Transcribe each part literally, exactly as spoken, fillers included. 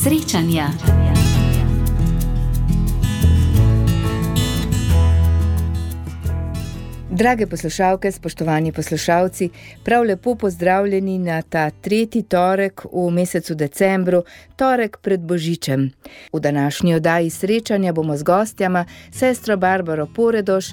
srečanja. Drage poslušalke, spoštovani poslušalci, prav lepo pozdravljeni na ta tretji torek v mesecu decembru, torek pred Božičem. V današnji oddaji srečanja bomo z gostjama sestro Barbaro Poredoš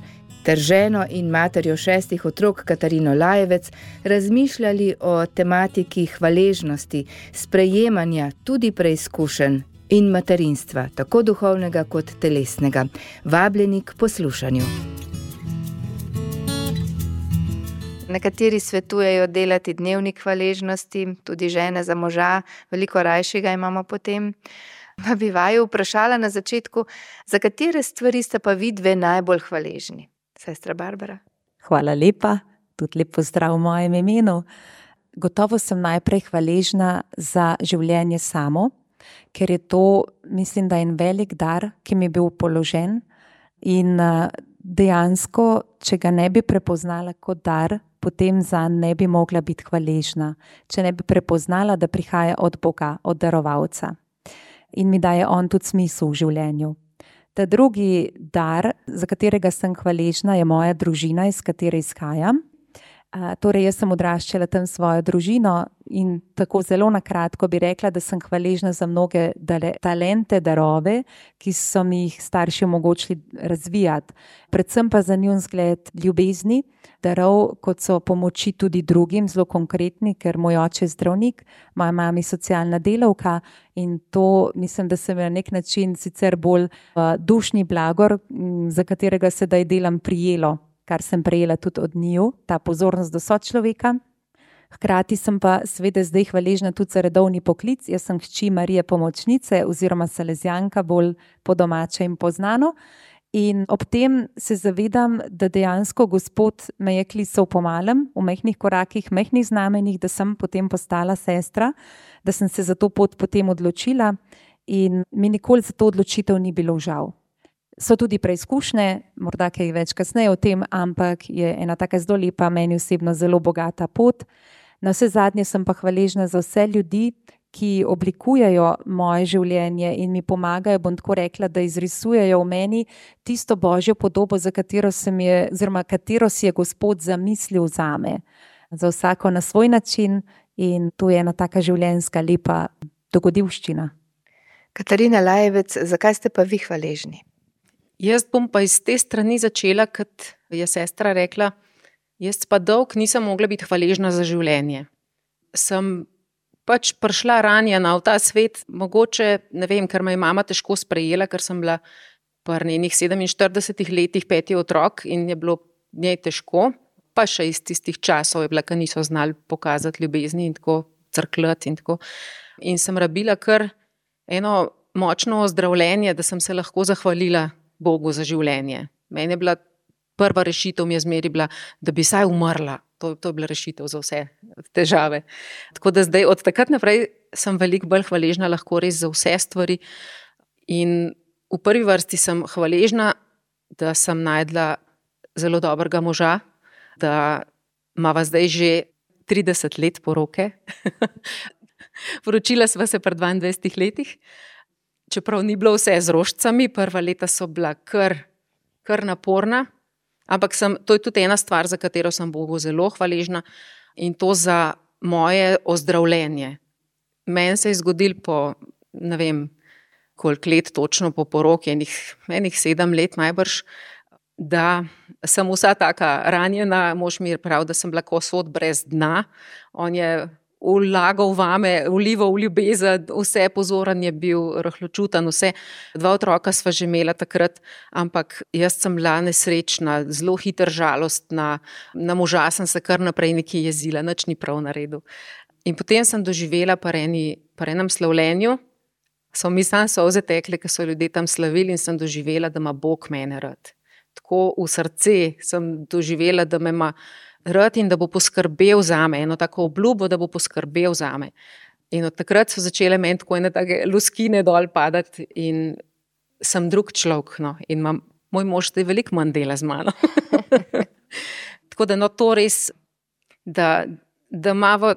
ter ženo in materjo šestih otrok Katarino Lajevec razmišljali o tematiki hvaležnosti, sprejemanja, tudi preizkušenj in materinstva, tako duhovnega kot telesnega. Vabljeni k poslušanju. Nekateri svetujejo delati dnevnik hvaležnosti, tudi žene za moža, veliko rajšega imamo potem. Pa bi vaju vprašala na začetku, za katere stvari sta pa vi dve najbolj hvaležni? Sestra Barbara. Hvala lepa, tudi lep pozdrav v mojem imenu. Gotovo sem najprej hvaležna za življenje samo, ker je to, mislim, da en velik dar, ki mi je bil položen in dejansko, če ga ne bi prepoznala kot dar, potem zanj ne bi mogla biti hvaležna, če ne bi prepoznala, da prihaja od Boga, od darovalca. In mi daje on tudi smisel v življenju. Ta drugi dar, za katerega sem hvaležna, je moja družina, iz katere izhajam. Uh, torej, jaz sem odraščala tam svojo družino in tako zelo na kratko bi rekla, da sem hvaležna za mnoge dale, talente, darove, ki so mi jih starši omogočili razvijati. Predvsem pa za njun zgled ljubezni, darov, kot so pomoči tudi drugim, zelo konkretni, ker moj oče je zdravnik, moja mama je socialna delavka in to mislim, da se mi na nek način sicer bolj uh, dušni blagor, m, za katerega sedaj delam, prijelo, kar sem prejela tudi od njiju, ta pozornost do sočloveka. Hkrati sem pa seveda zdaj hvaležna tudi za redovni poklic. Jaz sem hči Marije Pomočnice oziroma Salezijanka, bolj po domače in poznano. In ob tem se zavedam, da dejansko Gospod me je klical po malem, v majhnih korakih, majhnih znamenjih, da sem potem postala sestra, da sem se za to pot potem odločila in mi nikoli za to odločitev ni bilo žal. So tudi preizkušnje, morda kaj več kasneje o tem, ampak je ena taka zelo lepa, meni osebno zelo bogata pot. Na vse zadnje sem pa hvaležna za vse ljudi, ki oblikujejo moje življenje in mi pomagajo, bom tako rekla, da izrisujejo v meni tisto božjo podobo, za katero se mi je, oziroma katero si je Gospod zamislil zame. Za vsako na svoj način in to je ena taka življenjska lepa dogodivščina. Katarina Lajevec, zakaj ste pa vi hvaležni? Jaz bom pa iz te strani začela, kot je sestra rekla, jaz pa dolg nisem mogla biti hvaležna za življenje. Sem pač prišla ranjena v ta svet, mogoče, ne vem, ker me je mama težko sprejela, ker sem bila pri njenih sedeminštiridesetih letih peti otrok in je bilo njej težko, pa še iz tistih časov je bila, ker niso znali pokazati ljubezni in tako crkljati in tako. In sem rabila kar eno močno ozdravljenje, da sem se lahko zahvalila Bogu za življenje. Meni je bila prva rešitev, mi je zmeri bila, da bi saj umrla. To, to je bila rešitev za vse težave. Tako da zdaj od takrat naprej sem veliko bolj hvaležna lahko res za vse stvari. In v prvi vrsti sem hvaležna, da sem najdla zelo dobrega moža, da imava zdaj že trideset let poroke. Poročila sva se pri dvaindvajsetih letih. Čeprav ni bilo vse z rožicami, prva leta so bila kar, kar naporna, ampak sem, to je tudi ena stvar, za katero sem Bogu zelo hvaležna in to za moje ozdravljenje. Meni se je zgodilo po, ne vem, koliko let točno po poroki, enih, enih sedem let najbrž, da sem vsa taka ranjena, mož mi je prav, da sem bila kot sod brez dna, on je vlagal vame, vlival v ljubezen, vse pozoren je bil, rahločutan, vse. Dva otroka sva že imela takrat, ampak jaz sem bila nesrečna, zelo hiter žalostna, na moža sem se kar naprej nekaj jezila, nič ni prav naredil. In potem sem doživela pri enem slavljenju, so mi sam solze tekle, ker so ljudje tam slavili in sem doživela, da ima Bog mene rad. Tako v srce sem doživela, da me ima rad in da bo poskrbel zame, eno tako obljubo, da bo poskrbel zame. In od takrat so začele meni tako ene take luskine dol padati in sem drug človek, no, in imam, moj mož zdaj veliko manj dela z mano. Tako da no to res, da, da imamo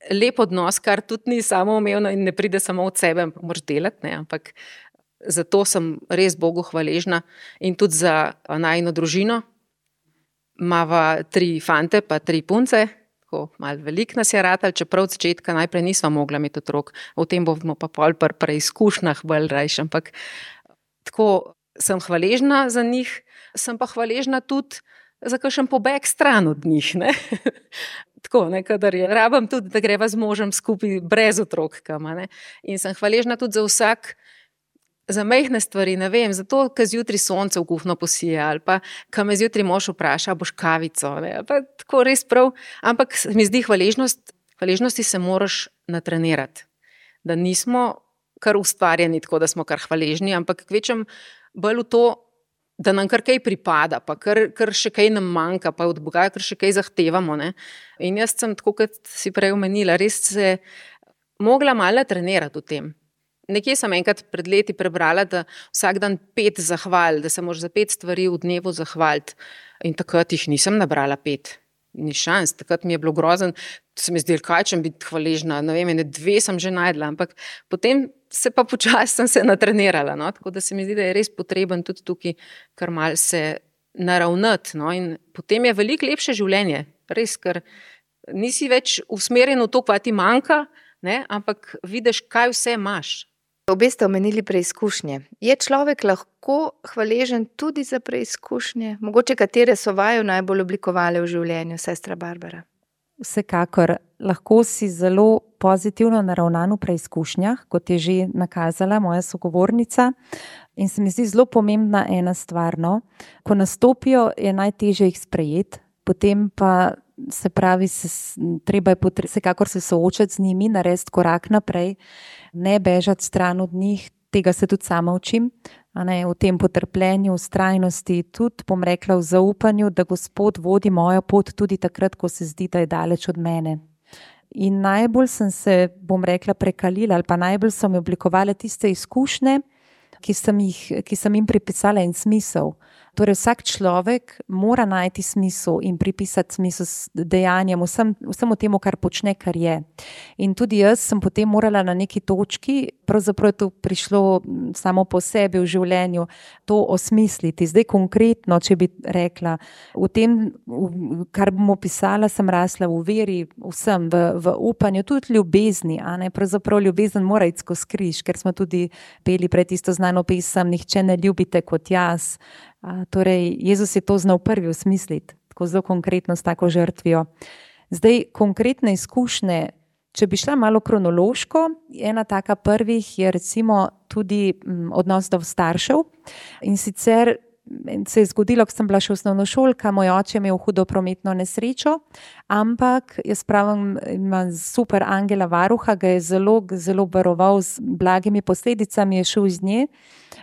lep odnos, kar tudi ni samoumevno in ne pride samo od sebe, moraš delati, ne, ampak zato sem res Bogu hvaležna in tudi za najino družino. Mava tri fante pa tri punce, tako malo veliko nas je ratal, čeprav od začetka najprej nisva mogla imeti otrok. O tem bomo pa pol pri preizkušnjah bolj rajš, ampak tako sem hvaležna za njih, sem pa hvaležna tudi za kakšen pobeg stran od njih, ne. Tako, ne, kadar je, rabam tudi, da greva z možem skupaj brez otrok kam, ne. In sem hvaležna tudi za vsak, za majhne stvari, ne vem, zato, ker zjutraj sonce v kuhno posije, ali pa, ker me zjutraj mož vpraša, boš kavico, ne, pa tako res prav, ampak mi zdi hvaležnost, hvaležnosti se moraš natrenirati, da nismo kar ustvarjeni tako, da smo kar hvaležni, ampak kvečem bolj v to, da nam kar kaj pripada, pa kar, kar še kaj nam manjka, pa od Boga kar še kaj zahtevamo, ne. In jaz sem, tako kot si prej omenila, res se mogla malo trenirati v tem. Nekje sem enkrat pred leti prebrala, da vsak dan pet zahval, da se moraš za pet stvari v dnevu zahvaliti. In takrat jih nisem nabrala pet. Ni šans, takrat mi je bilo grozen, se mi zdelo, kaj čem biti hvaležna, ne vem, ene dve sem že najdla, ampak potem se pa počasi sem se natrenirala, no, tako da se mi zdi, da je res potreben tudi tukaj kar malo se naravnati, no, in potem je veliko lepše življenje, res, ker nisi več usmerjen v to, kva ti manjka, ne, ampak vidiš, kaj vse imaš. Obe ste omenili preizkušnje. Je človek lahko hvaležen tudi za preizkušnje? Mogoče katere so vaju najbolj oblikovale v življenju, sestra Barbara? Vsekakor, lahko si zelo pozitivno naravnan v preizkušnjah, kot je že nakazala moja sogovornica. In se mi zdi zelo pomembna ena stvar, no. Ko nastopijo, je najtežje jih sprejeti, potem pa se pravi, se, treba je potre, vsekakor se soočati z njimi, narediti korak naprej, ne bežati stran od njih, tega se tudi sama učim, a ne, v tem potrpljenju, vztrajnosti, tudi bom rekla v zaupanju, da Gospod vodi mojo pot tudi takrat, ko se zdi, da je daleč od mene. In najbolj sem se, bom rekla, prekalila ali pa najbolj so mi oblikovale tiste izkušnje, ki sem, jih, ki sem jim pripisala en smisel. Torej vsak človek mora najti smisel in pripisati smisel dejanjem, vsem, vsemu temu, kar počne, kar je. In tudi jaz sem potem morala na neki točki, pravzaprav je to prišlo samo po sebi v življenju, to osmisliti. Zdaj konkretno, če bi rekla, v tem, kar bom opisala, sem rasla v veri, vsem, v, v upanju, tudi ljubezni, a ne, pravzaprav ljubezen mora iti skozi križ, ker smo tudi peli pred isto znano pesem, nihče ne ljubite kot jaz. A, torej, Jezus je to znal prvi osmisliti, tako zelo konkretno s tako žrtvijo. Zdaj, konkretne izkušnje, če bi šla malo kronološko, ena taka prvih je recimo tudi m, odnos do staršev in sicer se je zgodilo, ko sem bila še osnovnošolka, moj oče je imel hudo prometno nesrečo, ampak jaz pravim, ima super angela varuha, ga je zelo, zelo varoval z blagimi posledicami, je šel iz nje.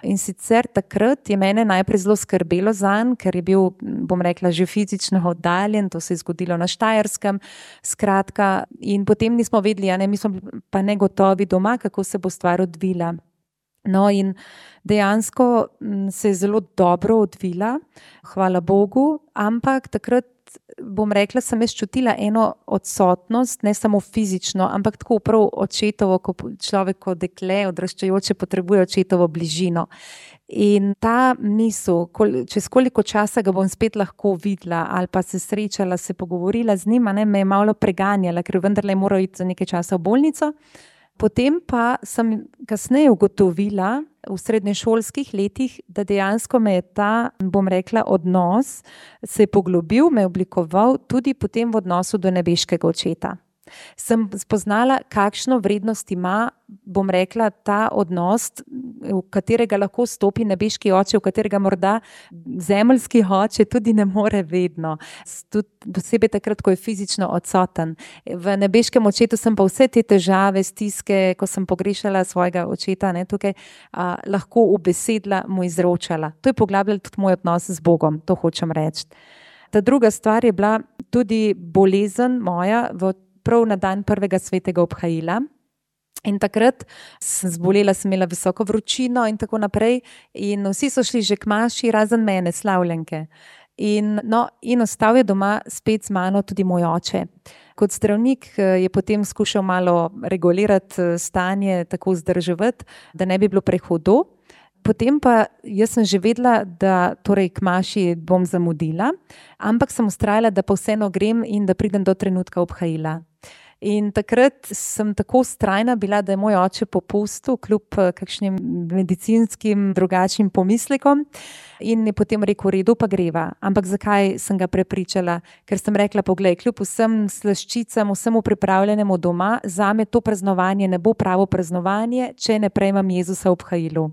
In sicer takrat je mene najprej zelo skrbelo zanj, ker je bil, bom rekla, že fizično oddaljen, to se je zgodilo na Štajerskem, skratka, in potem nismo vedeli, a ne, mi smo pa negotovi doma, kako se bo stvar odvila. No, in dejansko se je zelo dobro odvila, hvala Bogu, ampak takrat, bom rekla, sem jaz čutila eno odsotnost, ne samo fizično, ampak tako prav očetovo, ko človek kot dekle odraščajoče potrebuje očetovo bližino. In ta misel, čez koliko časa ga bom spet lahko videla ali pa se srečala, se pogovorila z njima, ne, me je malo preganjala, ker vendarle je moral iti za nekaj časa v bolnico. Potem pa sem kasneje ugotovila v srednješolskih letih, da dejansko me je ta, bom rekla, odnos se je poglobil, me je oblikoval tudi potem v odnosu do nebeškega očeta. Sem spoznala, kakšno vrednost ima, bom rekla, ta odnos, v katerega lahko stopi nebeški oče, v katerega morda zemeljski oče tudi ne more vedno. Tudi posebej takrat, ko je fizično odsoten. V nebeškem očetu sem pa vse te težave, stiske, ko sem pogrešala svojega očeta, ne, tukaj, a, lahko ubesedila, mu izročala. To je poglabljalo tudi moj odnos z Bogom, to hočem reči. Ta druga stvar je bila tudi bolezen moja v prav na dan prvega svetega obhajila. In takrat sem zbolela, sem imela visoko vročino in tako naprej in vsi so šli že k maši, razen mene, slavljenke. In, no, in ostal je doma spet z mano tudi moj oče. Kot zdravnik je potem skušal malo regulirati stanje, tako vzdrževati, da ne bi bilo prehudo. Potem pa jaz sem že vedela, da torej k maši bom zamudila, ampak sem vztrajala, da pa vseeno grem in da pridem do trenutka obhajila. In takrat sem tako vztrajna bila, da je moj oče popustil kljub kakšnim medicinskim drugačnim pomislekom in je potem rekel, redu pa greva. Ampak zakaj sem ga prepričala? Ker sem rekla, poglej, kljub vsem slaščicam, vsemu pripravljenemu doma, zame to praznovanje ne bo pravo praznovanje, če ne prejmem Jezusa v obhajilu.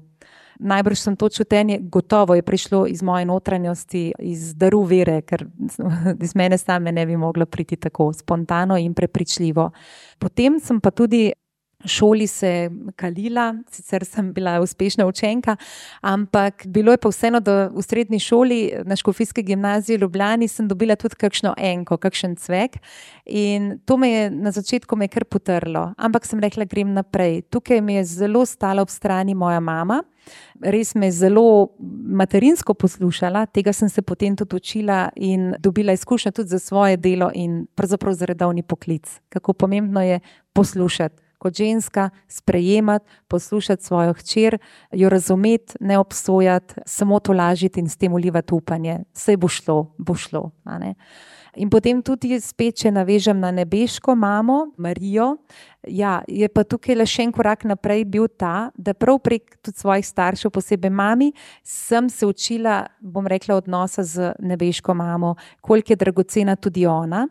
Najbrž sem to čutenje, gotovo je prišlo iz moje notranjosti, iz daru vere, ker iz mene same ne bi mogla priti tako spontano in prepričljivo. Potem sem pa tudi šoli se kalila, sicer sem bila uspešna učenka, ampak bilo je pa vseeno, da v srednji šoli na Škofijski gimnaziji v Ljubljani sem dobila tudi kakšno enko, kakšen cvek in to me je na začetku me kar potrlo, ampak sem rekla, grem naprej. Tukaj mi je zelo stala ob strani moja mama, res me je zelo materinsko poslušala, tega sem se potem tudi učila in dobila izkušnjo tudi za svoje delo in pravzaprav za redovni poklic. Kako pomembno je poslušati. Kot ženska sprejemati, poslušati svojo hčer, jo razumeti, ne obsojati, samo tolažiti in s tem ulivati upanje. Saj bo šlo, bo šlo. A ne? In potem tudi spet, če navežem na nebeško mamo, Marijo, ja, je pa tukaj le še en korak naprej bil ta, da prav prek tudi svojih staršev, posebej mami, sem se učila, bom rekla, odnosa z nebeško mamo, koliko je dragocena tudi ona.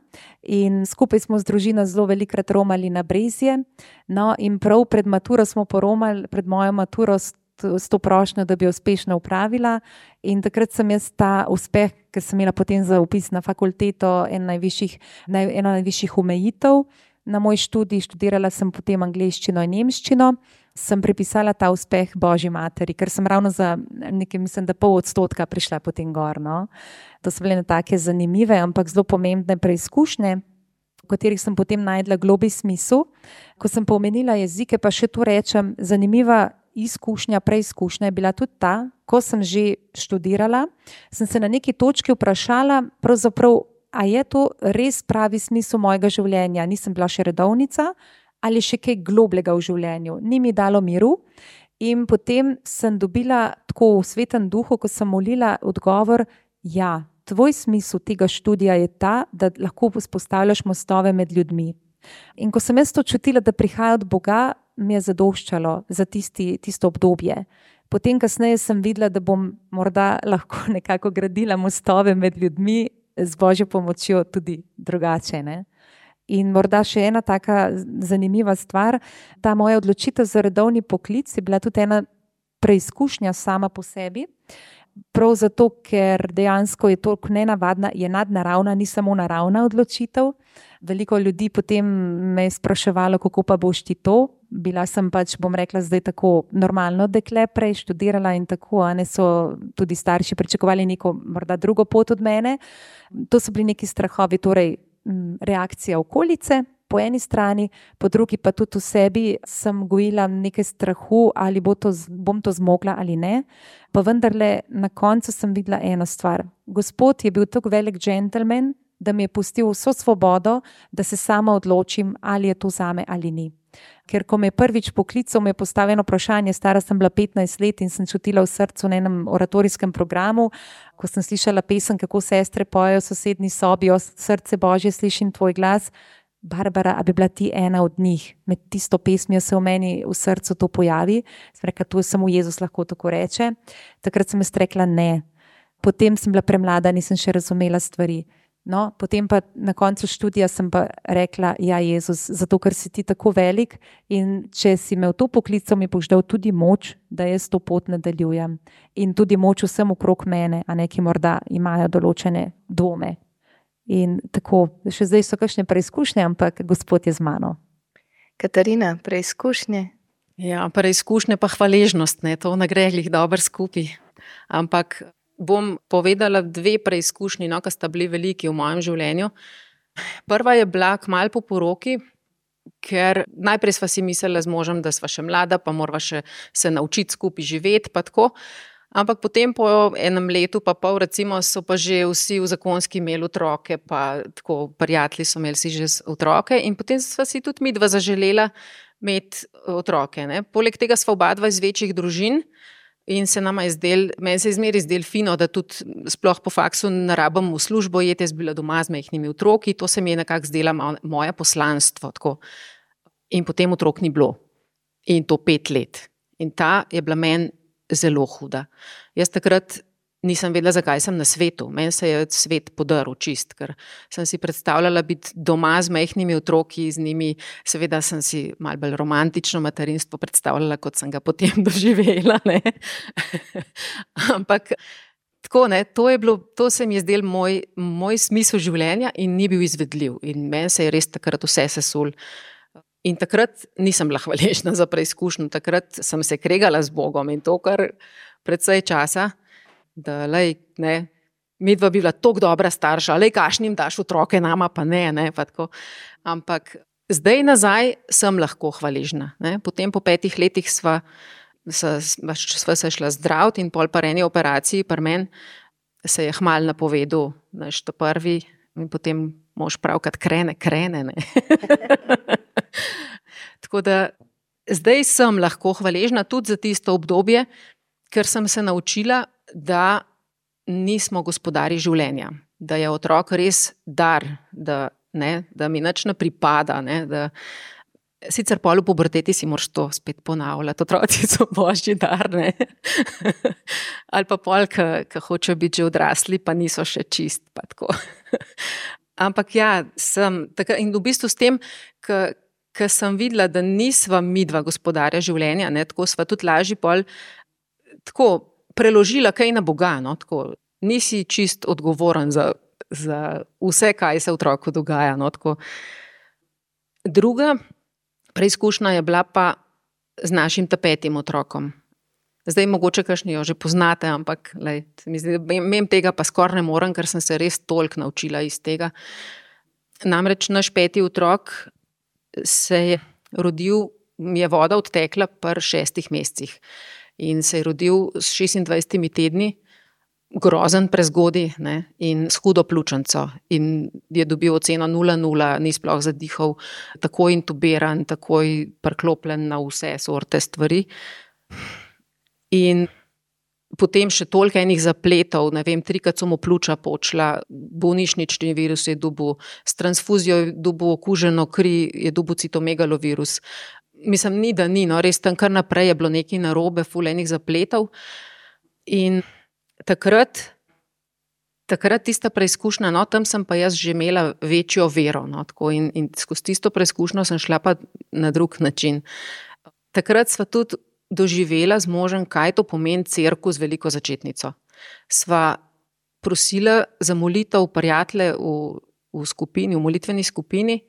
In skupaj smo z družino zelo velikrat romali na Brezje, no in prav pred maturo smo poromali, pred mojo maturo s to prošnjo, da bi jo uspešno upravila in takrat sem jaz ta uspeh, ker sem imela potem za upis na fakulteto eno najvišjih, eno najvišjih omejitev na moj študij, študirala sem potem angleščino in nemščino, sem pripisala ta uspeh Božji materi, ker sem ravno za nekaj, mislim, da pol odstotka prišla potem gor, no. To so bile take zanimive, ampak zelo pomembne preizkušnje, v katerih sem potem najdla globlji smisel. Ko sem pa omenila jezike, pa še tu rečem, zanimiva izkušnja, preizkušnja je bila tudi ta, ko sem že študirala, sem se na neki točki vprašala, pravzaprav, a je to res pravi smisel mojega življenja? Nisem bila še redovnica ali še kaj globlega v življenju. Ni mi dalo miru in potem sem dobila tako v svetem duhu, ko sem molila odgovor, ja, tvoj smisel tega študija je ta, da lahko vzpostavljaš mostove med ljudmi. In ko sem jaz to čutila, da prihaja od Boga, mi je zadoščalo za tisti, tisto obdobje. Potem kasneje sem videla, da bom morda lahko nekako gradila mostove med ljudmi z Božjo pomočjo tudi drugače, ne? In morda še ena taka zanimiva stvar, ta moja odločitev za redovni poklic je bila tudi ena preizkušnja sama po sebi, prav zato, ker dejansko je toliko nenavadna, je nadnaravna, ni samo naravna odločitev. Veliko ljudi potem me je spraševalo, kako pa boš ti to. Bila sem pač, bom rekla, zdaj tako normalno dekle, prej študirala in tako, a ne so tudi starši pričakovali neko morda drugo pot od mene. To so bili neki strahovi, torej reakcija okolice po eni strani, po drugi pa tudi v sebi sem gojila nekaj strahu, ali bo to, bom to zmogla ali ne. Pa vendarle na koncu sem videla eno stvar. Gospod je bil tako velik džentelmen, da mi je pustil vso svobodo, da se sama odločim, ali je to zame ali ni. Ker ko me je prvič poklical, me je postavljeno vprašanje, stara sem bila petnajst let in sem čutila v srcu na enem oratorijskem programu, ko sem slišala pesem, kako sestre pojejo v sosednji sobi, o srce Božje slišim tvoj glas, Barbara, a bi bila ti ena od njih? Med tisto pesmijo se v meni v srcu to pojavi, sem rekla, to je samo Jezus lahko tako reče. Takrat sem jaz rekla ne. Potem sem bila premlada, nisem še razumela stvari. No, potem pa na koncu študija sem pa rekla, ja Jezus, zato ker si ti tako velik in če si me v to poklical, mi boš dal tudi moč, da jaz to pot nadaljujem. In tudi moč vsem okrog mene, a ne, ki morda imajo določene dvome. In tako, še zdaj so kakšne preizkušnje, ampak Gospod je z mano. Katarina, preizkušnje? Ja, preizkušnje pa hvaležnost, ne, to ne gre glih dobro skupaj. Ampak bom povedala dve preizkušnji, no, ki sta bili veliki v mojem življenju. Prva je bila kmalu po poroki, ker najprej sva si mislila z možem, da sva še mlada, pa morava še se naučiti skupaj živeti, pa tako. Ampak potem po enem letu, pa pol, recimo, so pa že vsi v zakonski imeli otroke, pa tako prijatelji so imeli si že otroke in potem sva si tudi midva zaželela imeti otroke. Ne. Poleg tega sva oba dva iz večjih družin in se nama je zdel, meni se je zmeri zdel fino, da tudi sploh po faksu ne rabim v službo jeti, jaz bila doma z majhnimi otroki, to se mi je nekako zdela moje poslanstvo. Tako. In potem otrok ni bilo. In to pet let. In ta je bila meni zelo huda. Jaz takrat nisem vedela, zakaj sem na svetu. Meni se je svet podaril čist, ker sem si predstavljala biti doma z majhnimi otroki, z njimi, seveda sem si malo bolj romantično materinstvo predstavljala, kot sem ga potem doživela. Ne? Ampak tako, ne, to je bilo, to se mi je zdel moj, moj smisel življenja in ni bil izvedljiv. In meni se je res takrat vse sesul. In takrat nisem bila hvaležna za preizkušnjo, takrat sem se kregala z Bogom in to kar precej časa, da lej, ne, midva bi bila toliko dobra starša, lej, kašnim daš otroke, nama pa ne, ne, pa tako. Ampak zdaj nazaj sem lahko hvaležna. Ne. Potem po petih letih sva, sva, sva se šla zdraviti in pol par eni operaciji, par men se je hmal napovedal, naš to prvi in potem mož pravkrat krene, krene, ne. Tako da zdaj sem lahko hvaležna tudi za tisto obdobje, ker sem se naučila, da nismo gospodari življenja, da je otrok res dar, da, ne, da mi nič ne pripada, ne, da sicer pol v puberteti si moraš to spet ponavljati, otroci so božji dar, ne. Ali pa pol, ki hočejo biti že odrasli, pa niso še čist, pa tako. Ampak ja, sem, tako, in v bistvu s tem, ker sem videla, da nisva midva gospodarja življenja, ne, tako sva tudi lažji pol tako preložila kaj na Boga, no, tako, nisi čist odgovoren za, za vse, kaj se otroku dogaja, no, tako. Druga preizkušnja je bila pa z našim tapetim otrokom. Zdaj mogoče kakšni jo že poznate, ampak lej, mem tega pa skoraj ne morem, ker sem se res toliko naučila iz tega. Namreč naš peti otrok se je rodil, mi je voda odtekla pri šestih mesecih in se je rodil s šestindvajsetimi tedni, grozen prezgodi, ne, in s hudo pljučnico in je dobil oceno nula nula, ni sploh zadihal, takoj intubiran, takoj priklopljen na vse sorte stvari. In potem še toliko enih zapletov, ne vem, trikrat so mu pljuča počla, bolnišnični virus je dobil, s transfuzijo je dobil okuženo kri, je dobil citomegalovirus. Mislim, ni da ni, no, res tam kar naprej je bilo nekaj narobe, ful enih zapletov. In takrat, takrat tista preizkušnja, no, tam sem pa jaz že imela večjo vero, no, tako in, in skozi tisto preizkušnjo sem šla pa na drug način. Takrat sva tudi doživela z možem, kaj to pomeni cerkev z veliko začetnico. Sva prosila za molitev prijatelje v, v skupini, v molitveni skupini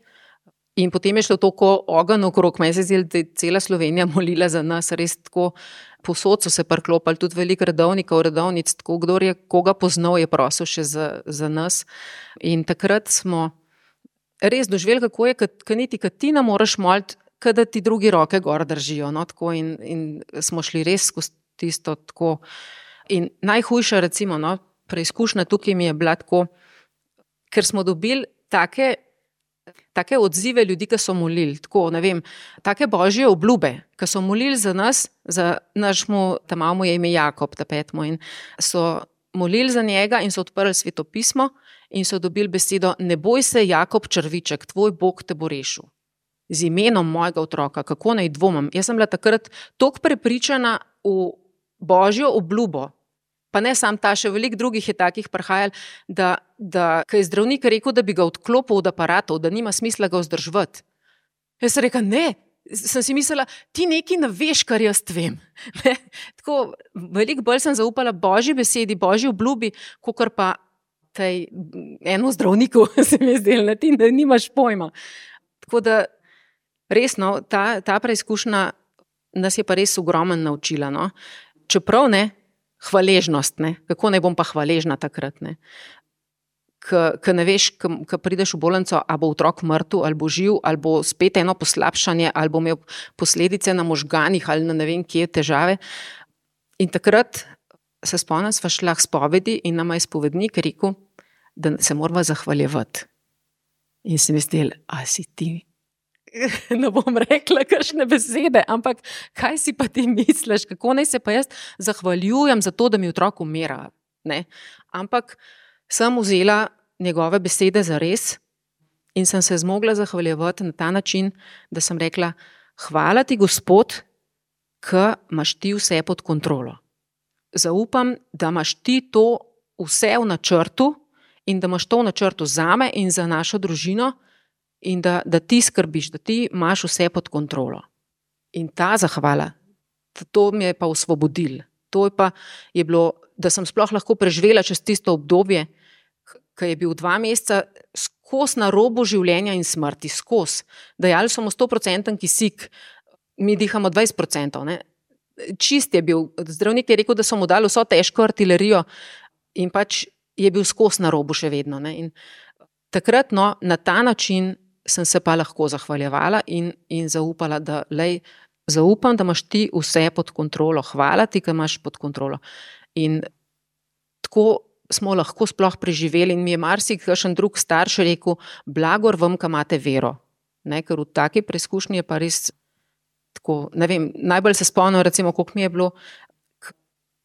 in potem je šlo toliko ogenj okrog, meni se zdi, da je cela Slovenija molila za nas, res tako posod so se priklopili, tudi veliko redovnikov, redovnic, tako kdor je koga poznal, je prosil še za, za nas. In takrat smo res doživeli, kako je, kad niti, kad ti ne moraš moliti, kada ti drugi roke gor držijo, no, tako in, in smo šli res skozi tisto tako. In najhujša, recimo, no, preizkušnja tukaj mi je bila tako, ker smo dobili take, take odzive ljudi, ki so molili, tako, ne vem, take božje obljube, ki so molili za nas, za našmu, ta mamo je ime Jakob, ta petmo, in so molili za njega in so odprli svetopismo in so dobili besedo, ne boj se, Jakob Črviček, tvoj Bog te bo rešil. Z imenom mojega otroka, kako naj dvomim. Jaz sem bila takrat toliko prepričana v božjo obljubo, pa ne sam ta, še veliko drugih je takih prihajali, da, da ko je zdravnik rekel, da bi ga odklopil od aparatov, da nima smisla ga vzdrževati. Jaz sem rekla, ne, sem si mislila, ti nekaj ne veš, kar jaz vem. Ne? Tako, veliko bolj sem zaupala božji besedi, božji obljubi, kakor pa tej eno zdravniku se mi je zdelo, ne, ti nimaš pojma. Tako da res, no, ta, ta preizkušnja nas je pa res ogromno naučila, no. Čeprav ne, hvaležnost, ne, kako naj bom pa hvaležna takrat, ne. Ko ne veš, ko prideš v bolnico, a bo otrok mrtev, ali bo živ, ali bo spet eno poslabšanje, ali bo imel posledice na možganih, ali na ne vem kje težave. In takrat se spomnim, sva šla k spovedi in nama je spovednik rekel, da se morava zahvaljevati. In si mislil, a si ti, ne bom rekla kakšne besede, ampak kaj si pa ti misliš, kako naj se pa jaz zahvaljujem za to, da mi otrok umira. Ne? Ampak sem vzela njegove besede za res in sem se zmogla zahvaljevati na ta način, da sem rekla, hvala ti, Gospod, ker imaš ti vse pod kontrolo. Zaupam, da imaš ti to vse v načrtu in da imaš to v načrtu zame in za našo družino in da, da ti skrbiš, da ti imaš vse pod kontrolo. In ta zahvala, to mi je pa osvobodil. To je pa je bilo, da sem sploh lahko preživela čez tisto obdobje, ki je bil dva meseca skos na robu življenja in smrti, skos. Dajali so mu sto procentov kisik, mi dihamo dvajset procentov. Ne? Čist je bil, zdravnik je rekel, da so mu dali vso težko artilerijo in pač je bil skos na robu še vedno. Ne? In takrat, no, na ta način sem se pa lahko zahvaljevala in, in zaupala, da lej, zaupam, da imaš ti vse pod kontrolo. Hvala ti, ker imaš pod kontrolo. In tako smo lahko sploh preživeli in mi je marsikakšen drug starš rekel, blagor vam, ki imate vero. Ne, ker v taki preizkušnji je pa res tako, ne vem, najbolj se spomnim, recimo, koliko mi je bilo,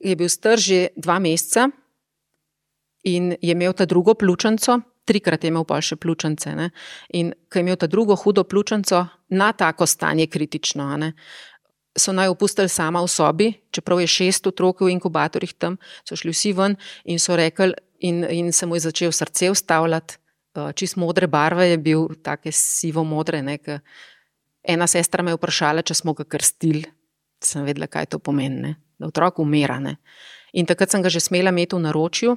je bil star že dva meseca in je imel ta drugo pljučnico, trikrat je imel pa še pljučnice, ne, in ko je imel ta drugo hudo pljučnico, na tako stanje kritično, ne, so naj opustili sama v sobi, čeprav je šest otrok v inkubatorjih tam, so šli vsi ven in so rekli, in, in se mu je začel srce ustavljati, čist modre barve je bil, take sivo modre, ne, ke ena sestra me je vprašala, če smo ga krstili, sem vedela, kaj to pomeni, ne, da otrok umira, ne. In takrat sem ga že smela imeti v naročju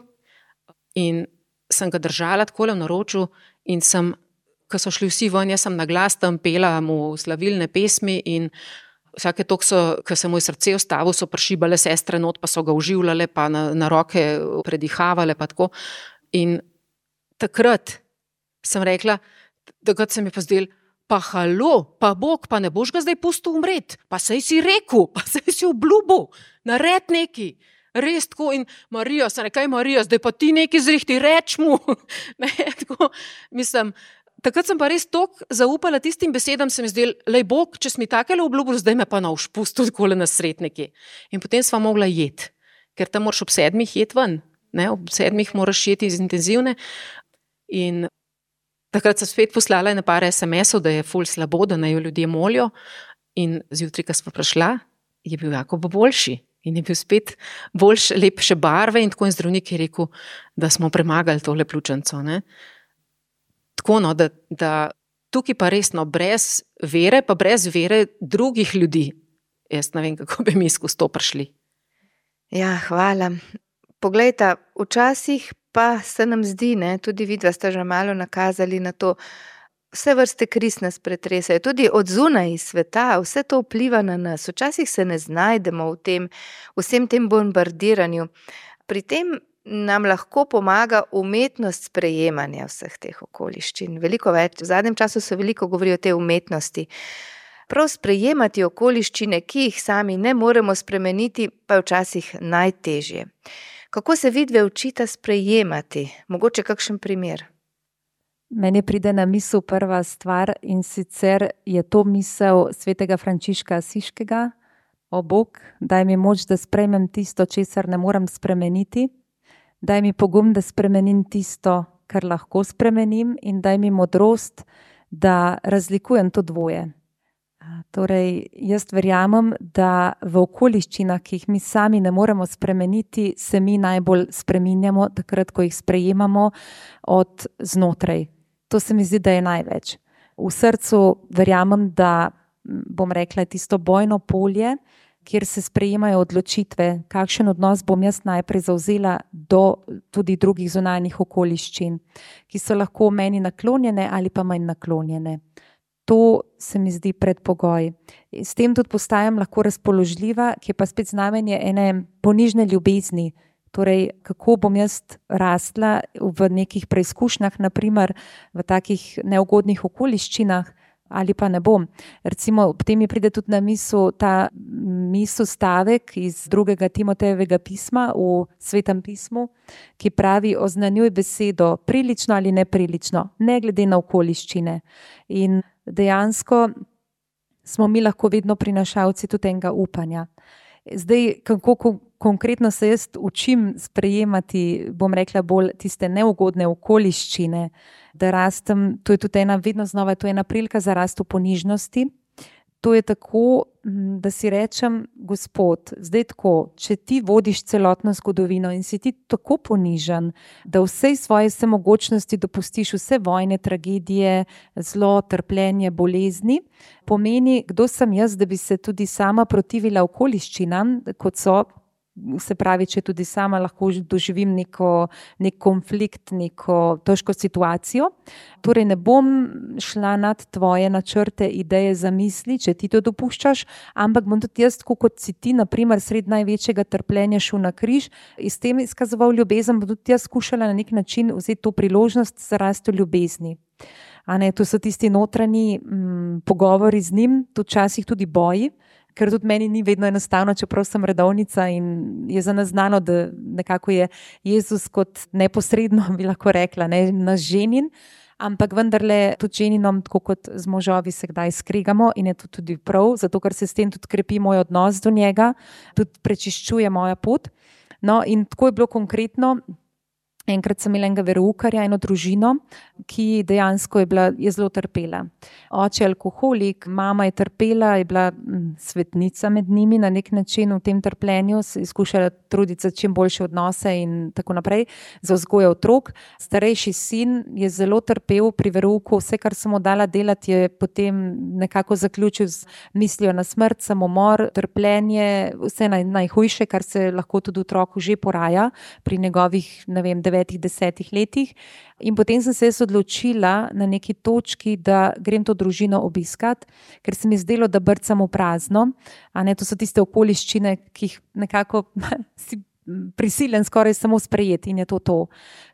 in sem ga držala takole v naročju in sem, ko so šli vsi ven, jaz sem na glas tam pela mu slavilne pesmi in vsake toliko so, ko se mu je srce ustavilo, so prišibale sestre not, pa so ga uživljale, pa na, na roke predihavale, pa tako. In takrat sem rekla, takrat se mi pa zdel, pa halo, pa Bog, pa ne boš ga zdaj pustil umret, pa saj si rekel, pa saj si obljubil, nared neki. Res tako in Marija, sem rekaj Marija, zdaj pa ti nekaj zrihti, reč mu. Ne, tako, mislim, takrat sem pa res toliko zaupala tistim besedam, se mi zdel, lej Bog, če si mi takele obljubil, zdaj me pa na ušpustil takole na sred neki. In potem sva mogla jeti, ker tam moraš ob sedmih jeti ven, ne, ob sedmih moraš jeti iz intenzivne. In takrat sem spet poslala ene par es em esov, da je ful slabo, da naj jo ljudje molijo. In zjutraj, ko sva prišla, je bil Jakob boljši. In je bil spet boljš, lepše barve in tako in zdravnik je rekel, da smo premagali tole pljučnico. Ne? Tako, no, da, da tukaj pa resno, brez vere, pa brez vere drugih ljudi, jaz ne vem, kako bi mi skozi to prišli. Ja, hvala. Poglejta, včasih pa se nam zdi, ne, tudi vidva sta že malo nakazali na to, vse vrste kriz nas pretresajo, tudi od zunaj iz sveta, vse to vpliva na nas. Včasih se ne znajdemo v tem, vsem tem bombardiranju. Pri tem nam lahko pomaga umetnost sprejemanja vseh teh okoliščin. Veliko več, v zadnjem času se veliko govori o tej umetnosti. Prav sprejemati okoliščine, ki jih sami ne moremo spremeniti, pa je včasih najtežje. Kako se vidve učita sprejemati? Mogoče kakšen primer? Meni pride na misel prva stvar in sicer je to misel svetega Frančiška Asiškega. O Bog, daj mi moč, da sprejmem tisto, česar ne morem spremeniti. Daj mi pogum, da spremenim tisto, kar lahko spremenim in daj mi modrost, da razlikujem to dvoje. Torej, jaz verjamem, da v okoliščinah, ki jih mi sami ne moremo spremeniti, se mi najbolj spreminjamo, takrat, ko jih sprejemamo od znotraj. To se mi zdi, da je največ. V srcu verjamem, da, bom rekla, tisto bojno polje, kjer se sprejemajo odločitve, kakšen odnos bom jaz najprej zavzela do tudi drugih zunanjih okoliščin, ki so lahko meni naklonjene ali pa manj naklonjene. To se mi zdi predpogoj. S tem tudi postajam lahko razpoložljiva, ki je pa spet znamenje ene ponižne ljubezni. Torej, kako bom jaz rastla v nekih preizkušnjah, naprimer v takih neugodnih okoliščinah, ali pa ne bom. Recimo, ob tem mi pride tudi na misel ta misel stavek iz drugega Timotejevega pisma v Svetem pismu, ki pravi: oznanjuj besedo prilično ali neprilično, ne glede na okoliščine. In dejansko smo mi lahko vedno prinašalci tudi enega upanja. Zdaj, kako konkretno se jaz učim sprejemati, bom rekla, bolj tiste neugodne okoliščine, da rastem, to je tudi ena, vedno znova, to je ena prilika za rast v ponižnosti. To je tako, da si rečem: Gospod, zdaj tako, če ti vodiš celotno zgodovino in si ti tako ponižen, da vsej svoje vsemogočnosti dopustiš vse vojne, tragedije, zlo, trpljenje, bolezni, pomeni, kdo sem jaz, da bi se tudi sama protivila okoliščinam, kot so, se pravi, če tudi sama lahko doživim neko, nek konflikt, neko težko situacijo. Torej ne bom šla nad tvoje načrte, ideje, zamisli, če ti to dopuščaš, ampak bom tudi jaz, tako kot si ti, naprimer, sred največjega trpljenja šel na križ in s tem izkazoval ljubezen, bom tudi jaz skušala na nek način vzeti to priložnost za rast v ljubezni. A ne, to so tisti notranji m, pogovori z njim, tudi včasih tudi boji, ker tudi meni ni vedno enostavno, čeprav sem redovnica in je za nas znano, da nekako je Jezus kot neposredno, bi lahko rekla, ne, naš ženin, ampak vendarle tudi ženinom, tako kot z možovi, se kdaj skregamo in je to tudi prav, zato ker se s tem tudi krepi moj odnos do njega, tudi prečiščuje moja pot. No, in tako je bilo konkretno. Enkrat sem imela enega veroukarja, eno družino, ki dejansko je bila, je zelo trpela. Oče je alkoholik, mama je trpela, je bila svetnica med njimi na nek način v tem trpljenju, se je skušala truditi za čim boljše odnose in tako naprej, za vzgojo otrok. Starejši sin je zelo trpel pri verouku, vse, kar sem mu dala delati, je potem nekako zaključil z mislijo na smrt, samomor, trpljenje, vse naj, najhujše, kar se lahko tudi otroku že poraja pri njegovih, ne vem, devetih, desetih letih. In potem sem se jaz odločila na neki točki, da grem to družino obiskat, ker se mi zdelo, da brcam v prazno. A ne, to so tiste okoliščine, ki jih nekako si prisilen skoraj samo sprejeti in je to to.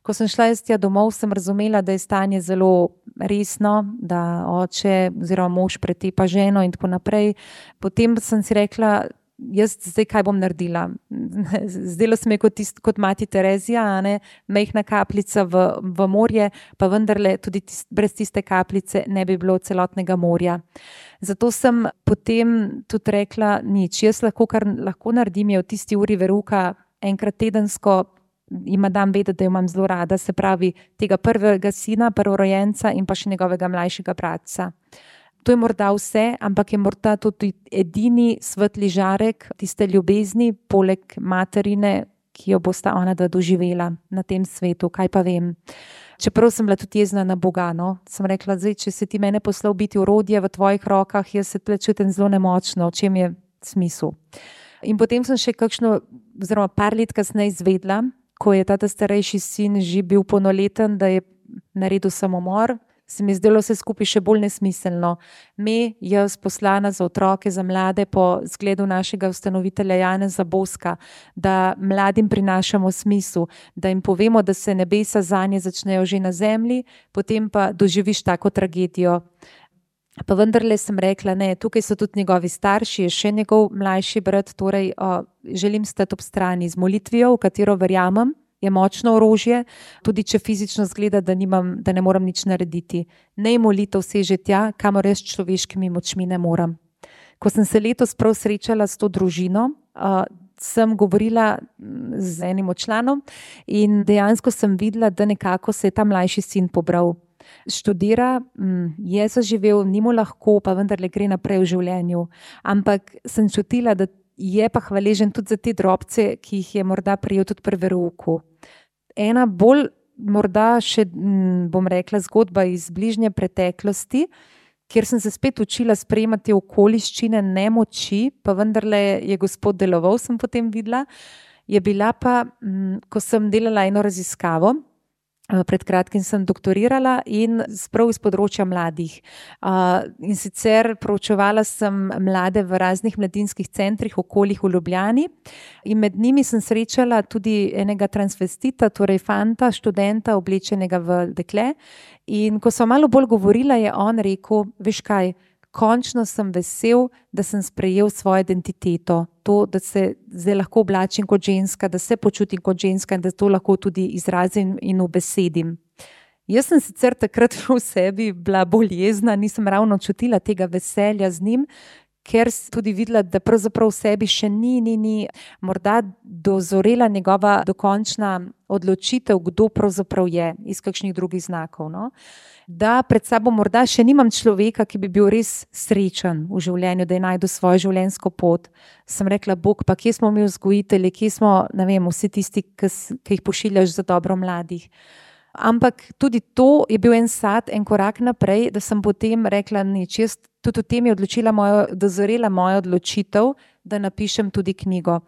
Ko sem šla jaz tja domov, sem razumela, da je stanje zelo resno, da oče oziroma mož pretepa ženo in tako naprej. Potem sem si rekla, jaz zdaj kaj bom naredila? Zdelo se mi kot, tist, kot mati Terezija, a ne, majhna kapljica v, v morje, pa vendarle tudi tist, brez tiste kapljice ne bi bilo celotnega morja. Zato sem potem tudi rekla, nič, jaz lahko, kar lahko naredim, je v tisti uri veruka enkrat tedensko ima dam vedeti, da jo imam zelo rada, se pravi tega prvega sina, prvorojenca in pa še njegovega mlajšega bratca. To je morda vse, ampak je morda tudi edini svetli žarek tiste ljubezni, poleg materine, ki jo bosta ona dva doživela na tem svetu, kaj pa vem. Čeprav sem bila tudi jezna na Boga, no, sem rekla, zdaj, če si ti mene poslal biti orodje v tvojih rokah, jaz se tle čutim zelo nemočno, v čem je smisel. In potem sem še kakšno, oziroma par let kasneje izvedla, ko je tata starejši sin že bil polnoleten, da je naredil samomor, se mi zdelo vse skupaj še bolj nesmiselno. Me, jaz poslana za otroke, za mlade po zgledu našega ustanovitelja Janeza Boska, da mladim prinašamo smisel, da jim povemo, da se nebesa zanje začnejo že na zemlji, potem pa doživiš tako tragedijo. Pa vendarle sem rekla, ne, tukaj so tudi njegovi starši, je še njegov mlajši brat, torej o, želim stati ob strani z molitvijo, v katero verjamem, je močno orožje, tudi če fizično zgleda, da, nimam, da ne moram nič narediti. Nej molitev seže tja, kamor jaz človeškimi močmi ne moram. Ko sem se letos prav srečala s to družino, uh, sem govorila z enim od članom in dejansko sem videla, da nekako se je ta mlajši sin pobral. Študira, je zaživel, ni mu lahko, pa vendarle gre naprej v življenju. Ampak sem čutila, da je pa hvaležen tudi za te drobce, ki jih je morda prijel tudi pri verouku. Ena bolj, morda še, bom rekla, zgodba iz bližnje preteklosti, kjer sem se spet učila sprejemati okoliščine nemoči, pa vendarle je Gospod deloval, sem potem videla, je bila pa, ko sem delala eno raziskavo, Pred kratkim sem doktorirala in sprav iz področja mladih. In sicer proučevala sem mlade v raznih mladinskih centrih, okoljih v Ljubljani, in med njimi sem srečala tudi enega transvestita, torej fanta, študenta, oblečenega v dekle. In ko sem malo bolj govorila, je on rekel: veš kaj, končno sem vesel, da sem sprejel svojo identiteto, to, da se zdaj lahko oblačim kot ženska, da se počutim kot ženska in da to lahko tudi izrazim in ubesedim. Jaz sem sicer takrat v sebi bila bolj jezna, nisem ravno čutila tega veselja z njim, ker sem tudi videla, da pravzaprav v sebi še ni, ni, ni morda dozorela njegova dokončna odločitev, kdo pravzaprav je, iz kakšnih drugih znakov, no. Da pred sabo morda še nimam človeka, ki bi bil res srečen v življenju, da je najdel svojo življenjsko pot. Sem rekla: Bog, pa kje smo mi vzgojitelji, kje smo, ne vem, vsi tisti, ki, ki jih pošiljaš za dobro mladih. Ampak tudi to je bil en sad, en korak naprej, da sem potem rekla: nič, jaz tudi v tem je odločila mojo, dozorela moja odločitev, da napišem tudi knjigo.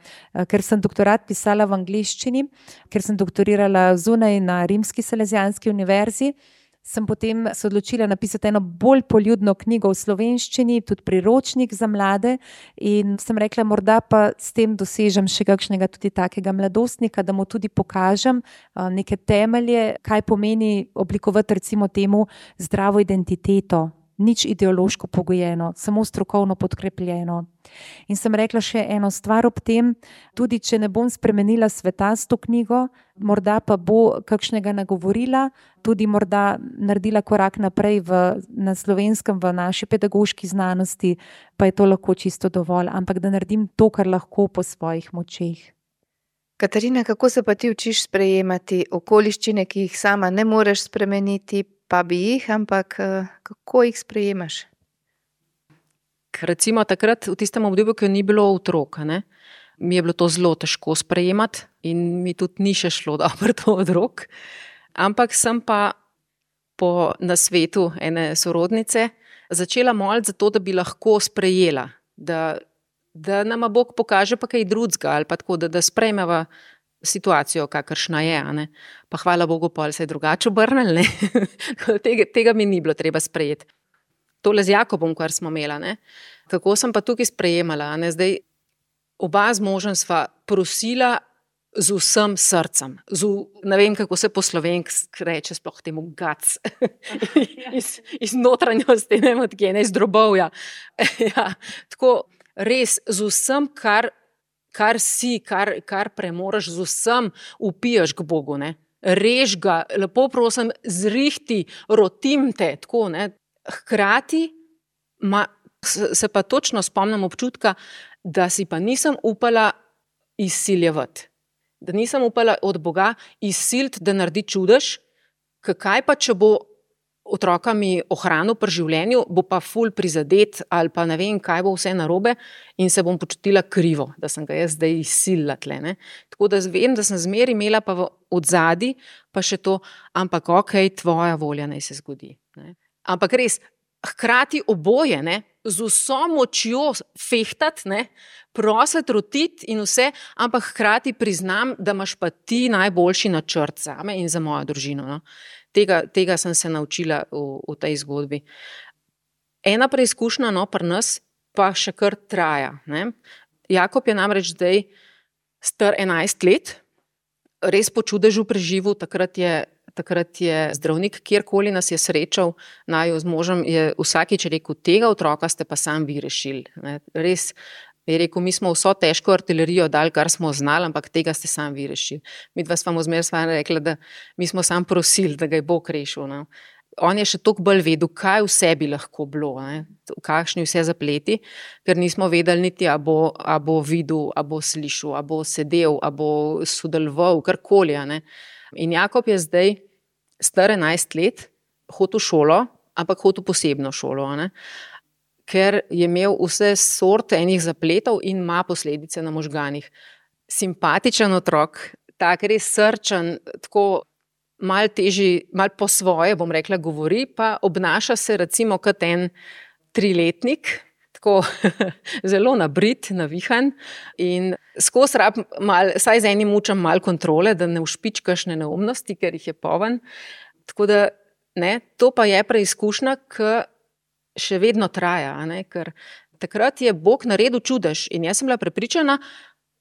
Ker sem doktorat pisala v angleščini, ker sem doktorirala zunaj na Rimski Salezijanski univerzi, sem potem se odločila napisati eno bolj poljudno knjigo v slovenščini, tudi priročnik za mlade, in sem rekla, morda pa s tem dosežem še kakšnega tudi takega mladostnika, da mu tudi pokažem neke temelje, kaj pomeni oblikovati recimo temu zdravo identiteto, nič ideološko pogojeno, samo strokovno podkrepljeno. In sem rekla še eno stvar ob tem, tudi če ne bom spremenila sveta s to knjigo, morda pa bo kakšnega nagovorila, tudi morda naredila korak naprej v, na Slovenskem, v naši pedagoški znanosti, pa je to lahko čisto dovolj, ampak da naredim to, kar lahko po svojih močeh. Katarina, kako se pa ti učiš sprejemati okoliščine, ki jih sama ne moreš spremeniti, pa bi jih, ampak kako jih sprejemaš? Recimo takrat, v tistem obdobju, ko ni bilo otroka, ne, mi je bilo to zelo težko sprejemati in mi tudi ni še šlo dobro to od rok. Ampak sem pa po nasvetu ene sorodnice začela moliti za to, da bi lahko sprejela, da, da nama Bog pokaže pa kaj drugega ali pa tako, da, da sprejmeva situacijo, kakršna je, a ne. Pa hvala Bogu, pol se je drugače obrnil, ne. tega, tega mi ni bilo treba sprejeti. Tole z Jakobom, kar smo imela, ne. Kako sem pa tukaj sprejemala, a ne. Zdaj, oba z možem sva prosila z vsem srcem, z, ne vem, kako se po slovenski reče, sploh temu gac, iz, iz notranjosti, ne vem, od kje, ne, iz drobovja. Ja, tako, res, z vsem, kar kar si, kar, kar premoraš, z vsem upiješ k Bogu, ne. Rež ga, lepo prosim, zrihti, rotim te, tako, ne. Hkrati ma, se pa točno spomnim občutka, da si pa nisem upala izsiljevati, da nisem upala od Boga izsiliti, da naredi čudež, kaj pa, če bo otroka mi ohranil pri življenju, bo pa ful prizadet ali pa ne vem, kaj bo vse narobe in se bom počutila krivo, da sem ga jaz zdaj izsilila tle, ne. Tako da vem, da sem zmeraj imela pa v odzadi pa še to, ampak okej, tvoja volja naj se zgodi, ne. Ampak res, hkrati oboje, ne, z vso močjo fehtati, ne, prositi, rotiti in vse, ampak hkrati priznam, da imaš pa ti najboljši načrt zame in za mojo družino, no. Tega, tega sem se naučila v, v tej zgodbi. Ena preizkušnja, no, pri nas pa še kar traja, ne. Jakob je namreč zdaj star enajst let, res po čudežu preživel, takrat je, takrat je zdravnik, kjerkoli nas je srečal, naju z možem, je vsakič rekel, tega otroka ste pa sam vi rešili, ne. Res je rekel, mi smo vso težko artilerijo dali, kar smo znali, ampak tega ste sam vi rešili. Mi dva smo zmeraj sva rekla, da mi smo sam prosili, da ga je Bog rešil, no. On je še toliko bolj vedel, kaj vse bi lahko bilo, ne, kakšni vse zapleti, ker nismo vedeli niti, a bo, a bo videl, a bo slišal, a bo sedel, a bo sodeloval, karkoli, a ne. In Jakob je zdaj star enajst let, hodil v šolo, ampak hodil posebno šolo, a ne, ker je imel vse sorte enih zapletov in ima posledice na možganih. Simpatičen otrok, tak res srčen, tako malo težji, malo po svoje, bom rekla, govori, pa obnaša se recimo kot en triletnik, tako zelo nabrit, navihan in skozi rab mal, saj z enim mučem malo kontrole, da ne ušpičkaš ne neumnosti, ker jih je poven. Tako da, ne, to pa je preizkušnja, ki še vedno traja, a ne, ker takrat je Bog naredil čudež in jaz sem bila prepričana,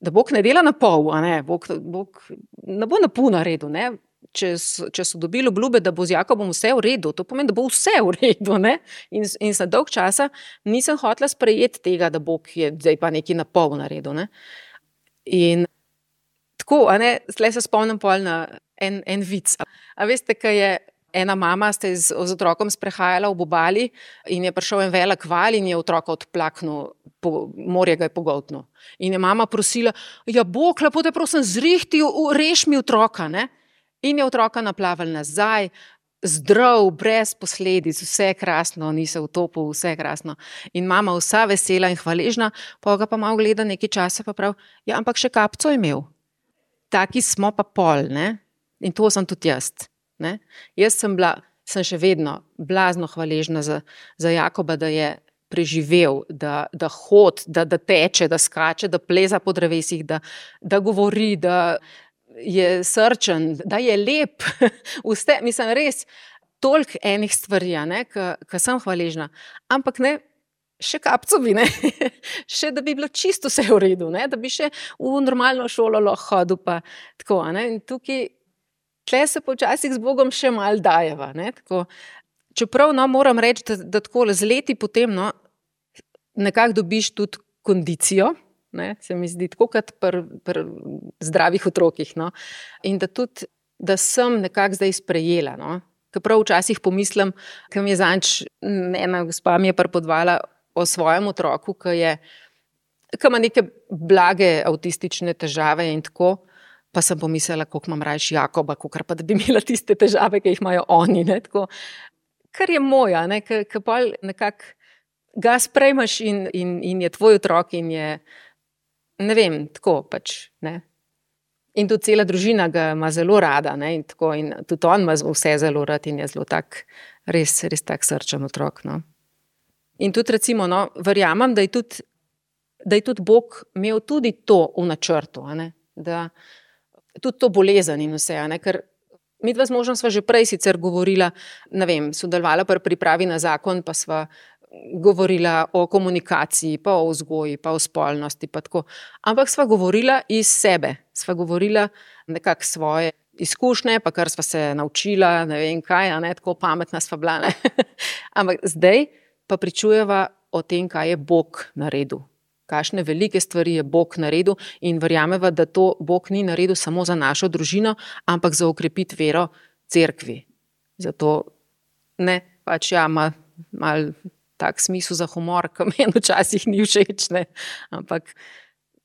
da Bog ne dela na pol, a ne, Bog, Bog ne bo na pol naredil, ne. Če so, če so dobili obljube, da bo z Jakobom vse v redu, to pomeni, da bo vse v redu, ne? In, in za dolg časa nisem hotela sprejeti tega, da Bog je zdaj pa nekaj na pol naredil, ne? In tako, a ne, tle se spomnim pol na en, en vic. A veste, kaj je ena mama, ste z, z otrokom sprehajala ob obali in je prišel en velik val in je otroka odplaknil, po, morje ga je pogoltnil. In je mama prosila, ja, Bog, lepo te prosim, zrihti, reš mi otroka, ne? In je otroka naplaval nazaj, zdrav, brez posledic, vse krasno, ni se utopil, vse krasno. In mama vsa vesela in hvaležna, pa ga pa malo gleda nekaj časa, pa prav, ja, ampak še kapco je imel. Taki smo pa pol, ne? In to sem tudi jaz, ne? Jaz sem bila, sem še vedno blazno hvaležna za, za Jakoba, da je preživel, da, da hod, da, da teče, da skače, da pleza po drevesih, da, da govori, da je srčen, da je lep, vse, mislim, res toliko enih stvari, ki sem hvaležna, ampak ne, še kapco bi, ne, še da bi bilo čisto vse v redu, ne, da bi še v normalno šolo lahko hodil, pa tako, ne, in tukaj, tle se počasih z Bogom še malo dajeva, ne, tako, čeprav, no, moram reči, da, da tako z leti potem, no, nekako dobiš tudi kondicijo, ne, se mi zdi, tako kot pri, pri zdravih otrokih, no, in da tudi, da sem nekako zdaj sprejela, no, ker prav včasih pomislim, ker mi je zanč, ena gospa mi je prepodvala o svojem otroku, ki je, ki ima neke blage avtistične težave in tako, pa sem pomislila, koliko imam rajši Jakoba, kakor pa da bi imela tiste težave, ki jih imajo oni, ne, tako, kar je moja, ne, ker pa nekako ga sprejmaš in, in, in je tvoj otrok in je, ne vem, tako pač, ne. In tudi cela družina ga ima zelo rada, ne, in tako, in tudi on ima vse zelo rad in je zelo tak, res, res tak srčen otrok, no. In tudi recimo, no, verjamem, da je tudi, da je tudi Bog imel tudi to v načrtu, a ne, da tudi to bolezen in vse, a ne, ker midva z možem sva že prej sicer govorila, ne vem, sodelovala pri pripravi na zakon, pa sva govorila o komunikaciji, pa o vzgoji, pa o spolnosti, pa tako. Ampak sva govorila iz sebe, sva govorila nekako svoje izkušnje, pa kar sva se naučila, ne vem kaj, a ne, tako pametna sva bila, ne. Ampak zdaj pa pričujeva o tem, kaj je Bog naredil. Kakšne velike stvari je Bog naredil in verjameva, da to Bog ni naredil samo za našo družino, ampak za okrepiti vero cerkvi. Zato, ne, pač ja, ima malo tak smisel za humor, ki meni včasih ni všeč, ne. Ampak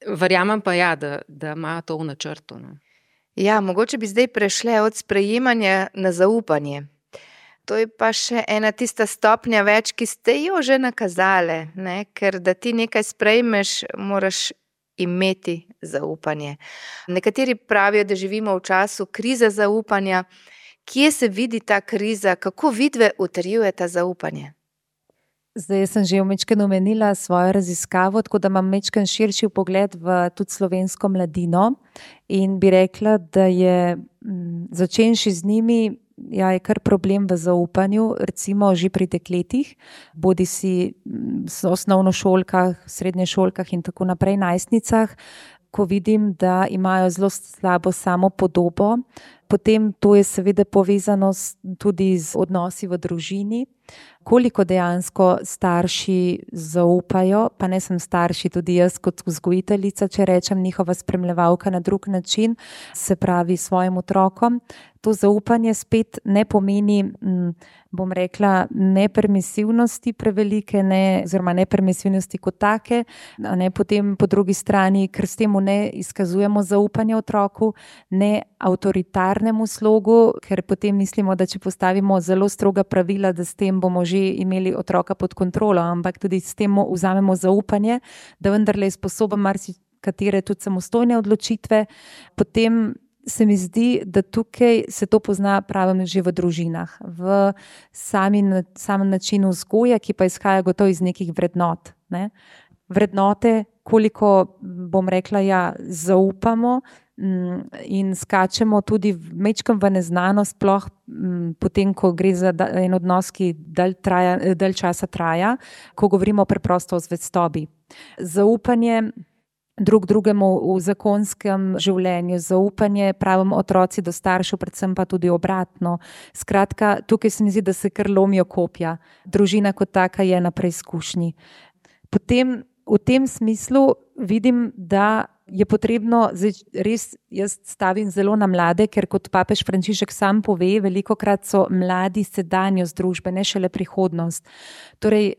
verjamem pa ja, da, da ima to v načrtu, no. Ja, mogoče bi zdaj prešle od sprejemanja na zaupanje. To je pa še ena tista stopnja več, ki ste jo že nakazale, ne, ker da ti nekaj sprejmeš, moraš imeti zaupanje. Nekateri pravijo, da živimo v času krize zaupanja. Kje se vidi ta kriza, kako vidve utrjujeta zaupanje? Zdaj sem že vmečkeno omenila svojo raziskavo, tako da imam vmečken širši pogled v tudi slovensko mladino in bi rekla, da je začenši z njimi, ja, je kar problem v zaupanju, recimo že pri dekletih, bodi si v osnovnošolkah, srednješolkah in tako naprej, najstnicah, ko vidim, da imajo zelo slabo samopodobo. Potem to je seveda povezano tudi z odnosi v družini, koliko dejansko starši zaupajo, pa ne sem starši, tudi jaz kot vzgojiteljica, če rečem, njihova spremljevalka na drug način, se pravi svojim otrokom. To zaupanje spet ne pomeni, bom rekla, nepermisivnosti prevelike, ne, oziroma nepermisivnosti kot take, a ne potem po drugi strani, ker s temu ne izkazujemo zaupanja otroku, ne avtoritarnemu slogu, ker potem mislimo, da če postavimo zelo stroga pravila, da s tem bomo že imeli otroka pod kontrolo, ampak tudi s tem vzamemo zaupanje, da vendarle je sposoben marsikatere tudi samostojne odločitve. Potem se mi zdi, da tukaj se to pozna pravim že v družinah, v sami, samem načinu vzgoje, ki pa izhaja gotovo iz nekih vrednot. ne. Vrednote, koliko, bom rekla, ja, zaupamo in skačemo tudi mečkam v neznano, sploh potem, ko gre za en odnos, ki dalj, traja, dalj časa traja, ko govorimo preprosto o zvestobi. Zaupanje drug drugemu v zakonskem življenju, zaupanje pravim otroci do staršev, predvsem pa tudi obratno. Skratka, tukaj se mi zdi, da se kar lomijo kopja. Družina kot taka je na preizkušnji. Potem v tem smislu vidim, da je potrebno, res jaz stavim zelo na mlade, ker kot papež Frančišek sam pove, velikokrat so mladi sedanjost družbe, ne šele prihodnost. Torej,